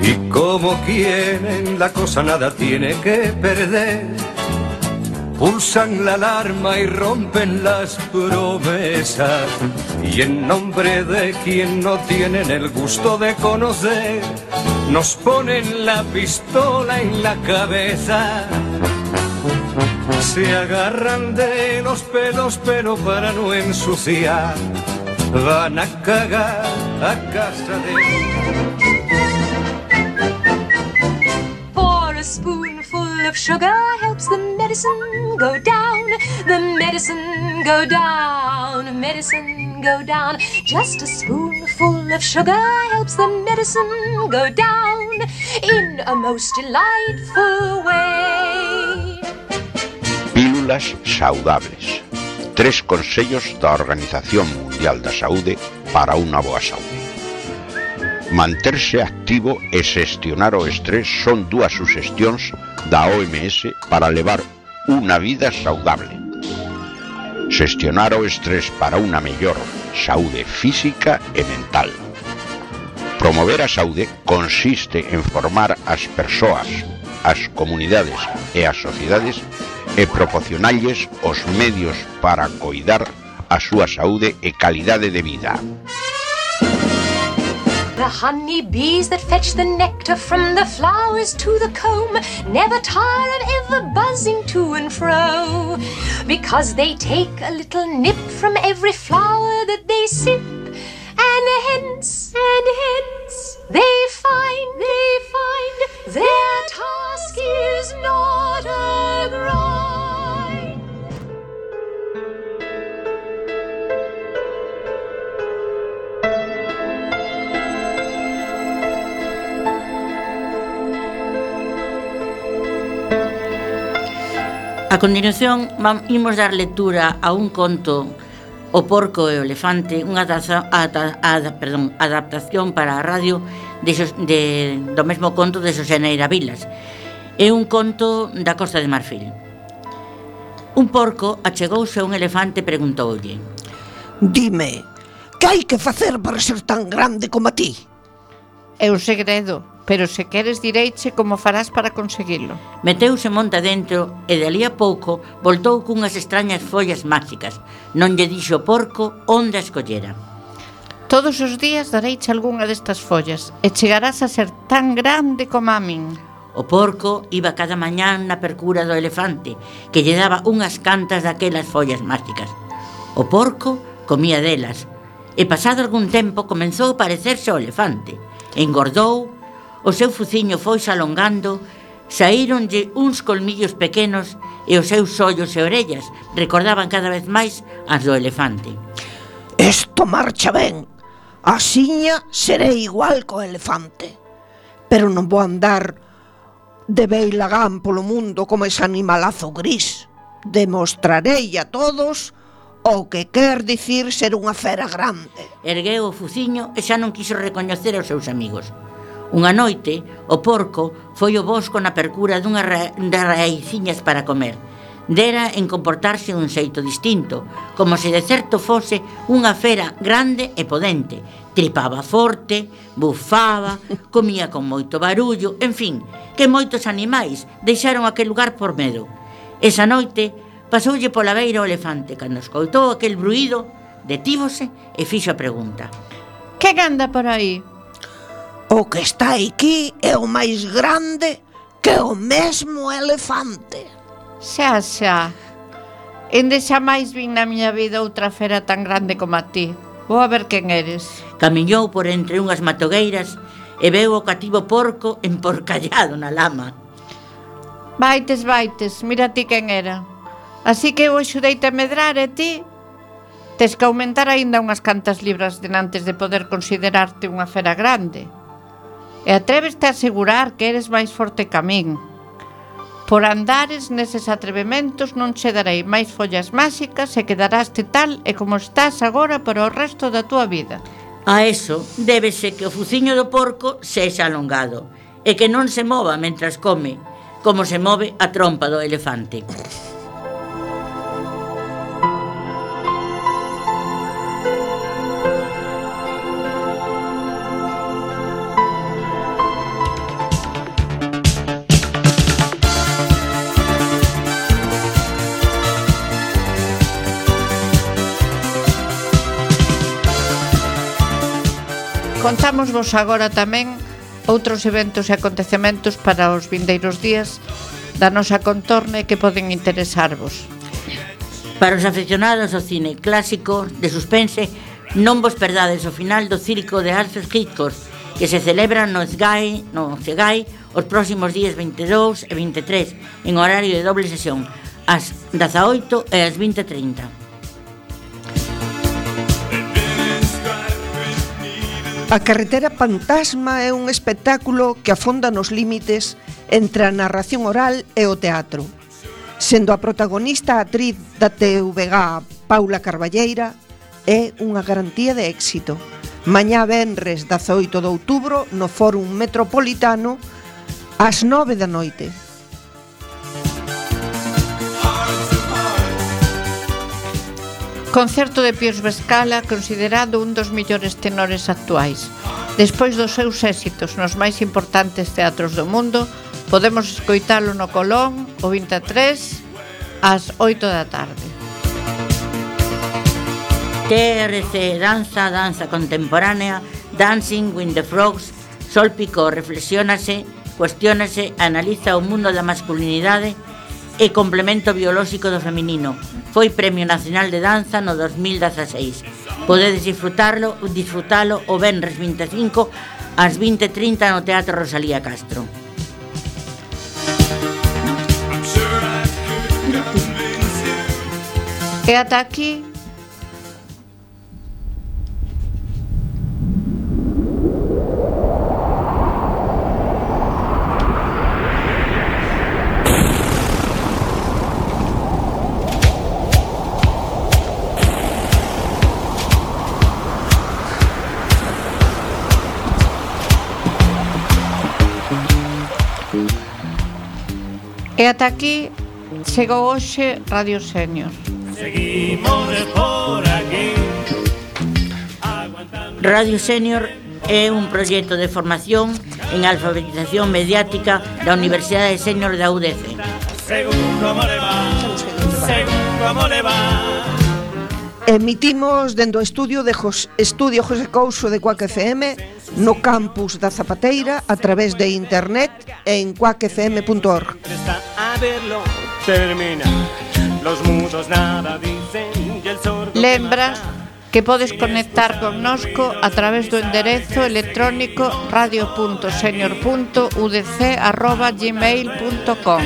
S19: Y como quieren la cosa nada tiene que perder, pulsan la alarma y rompen las promesas, y en nombre de quien no tienen el gusto de conocer, nos ponen la pistola en la cabeza. Se agarran de los pelos pero para no ensuciar, van a cagar a casa de...
S20: A spoonful of sugar helps the medicine go down, the medicine go down, medicine go down. Just a spoonful of sugar helps the medicine go down in a most delightful way.
S21: Pílulas saudables. Tres consellos da Organización Mundial da Saúde para unha boa saúde. Manterse activo e xestionar o estrés son dúas suxestións da O M S para levar unha vida saudable. Xestionar o estrés para unha mellor saúde física e mental. Promover a saúde consiste en formar as persoas, as comunidades e as sociedades e proporcionalles os medios para coidar a súa saúde e calidade de vida.
S20: The honey bees that fetch the nectar from the flowers to the comb never tire of ever buzzing to and fro, because they take a little nip from every flower that they sip, and hence, and hence, they find, they find their task is not a grind.
S5: A continuación, imos dar lectura a un conto, O porco e o elefante, unha adaptación, ada, ada, perdón, adaptación para a radio de, de, do mesmo conto de Xosé Neira Vilas. É un conto da Costa de Marfil. Un porco achegouse a un elefante e preguntoulle:
S4: Dime, que hai que facer para ser tan grande como a ti?
S3: É un segredo, pero se queres direiche como farás para conseguilo.
S5: Meteuse monta dentro e de alí a pouco voltou cunhas extrañas follas máxicas. Non lle dixo o porco onde a escollera.
S3: Todos os días dareiche algunha destas follas e chegarás a ser tan grande como a min.
S5: O porco iba cada mañán na percura do elefante, que lle daba unhas cantas daquelas follas máxicas. O porco comía delas, e pasado algún tempo comenzou a parecerse ao elefante. Engordou, o seu fuciño foise alongando, saíronlle uns colmillos pequenos e os seus ollos e orellas recordaban cada vez máis as do elefante.
S4: Esto marcha ben, asiña serei igual co elefante, pero non vou andar de beilagán polo mundo como ese animalazo gris. Demostrarei a todos o que quer dicir ser unha fera grande.
S5: Ergueu o fuciño e xa non quiso recoñecer aos seus amigos. Unha noite, o porco foi ao bosco na percura dunhas ra raiciñas para comer. Dera en comportarse dun xeito distinto, como se de certo fose unha fera grande e podente. Tripaba forte, bufaba, comía con moito barullo, en fin, que moitos animais deixaron aquel lugar por medo. Esa noite pasoulle pola beira o elefante. Cando escoitou aquel bruído, detívose e fixo a pregunta:
S3: Que anda por aí?
S4: O que está aquí é o máis grande que o mesmo elefante.
S3: Xa, xa. Ende xa máis vin na miña vida outra fera tan grande como a ti. Vou a ver quen eres.
S5: Camiñou por entre unhas matogueiras e veu o cativo porco emporcallado na lama.
S3: Vaites, vaites, mira ti quen era. Así que eu axudeite a medrar e ti tes que aumentar aínda unhas cantas libras denantes de poder considerarte unha fera grande. E atréveste a asegurar que eres máis forte que a min. Por andares neses atrevementos non che darei máis follas máxicas e quedaraste tal e como estás agora para o resto da túa vida.
S5: A eso débese que o fuciño do porco sexa alongado e que non se mova mentras come, como se move a trompa do elefante.
S3: Contámosvos agora tamén outros eventos e acontecementos para os vindeiros días da nosa contorne que poden interesarvos.
S5: Para os aficionados ao cine clásico de suspense, non vos perdades o final do Circo de Alfred Hitchcock, que se celebra no Sgai, no Segai os próximos días veintidós e veintitrés en horario de doble sesión, ás dezaoito e ás vinte e trinta.
S4: A Carretera Fantasma é un espectáculo que afonda nos límites entre a narración oral e o teatro, sendo a protagonista a actriz da T V G Paula Carballeira, é unha garantía de éxito. Mañá venres dezaoito de outubro no Fórum Metropolitano ás nove da noite.
S3: Concerto de Pius Vescala, considerado un dos millores tenores actuais. Despois dos seus éxitos nos máis importantes teatros do mundo, podemos escoitalo no Colón o vinte e tres ás oito da tarde.
S5: T R C Danza, danza contemporánea, Dancing with the Frogs. Sol Picó reflexiónase, cuestiónase, analiza o mundo da masculinidade e complemento biolóxico do feminino. Foi Premio Nacional de Danza no dos mil dezaseis. Podedes disfrutarlo, disfrutalo o venres vinte e cinco ás vinte e trinta no Teatro Rosalía Castro.
S3: E ata aquí E ata aquí chegou hoxe Radio Senior.
S7: Seguimos por aquí.
S5: Radio Senior é un proxecto de formación en alfabetización mediática da Universidade Senior da U D C.
S7: Según como le va, según como le va.
S4: Emitimos dende o estudio de Jos, Estudio José Couso de Cuac F M no campus da Zapateira a través de internet en cuac f m punto org.
S7: A verlo termina. Los mudos nada dicen y el sordo.
S3: Lembra que podes conectar connosco a través do enderezo electrónico radio punto senior punto u d c arroba gmail punto com.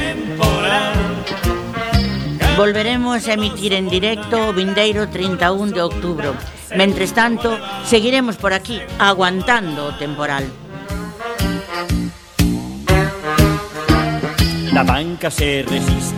S5: Volveremos a emitir en directo o vindeiro trinta e un de outubro. Mentres tanto, seguiremos por aquí, aguantando o temporal.
S7: La banca se resiste.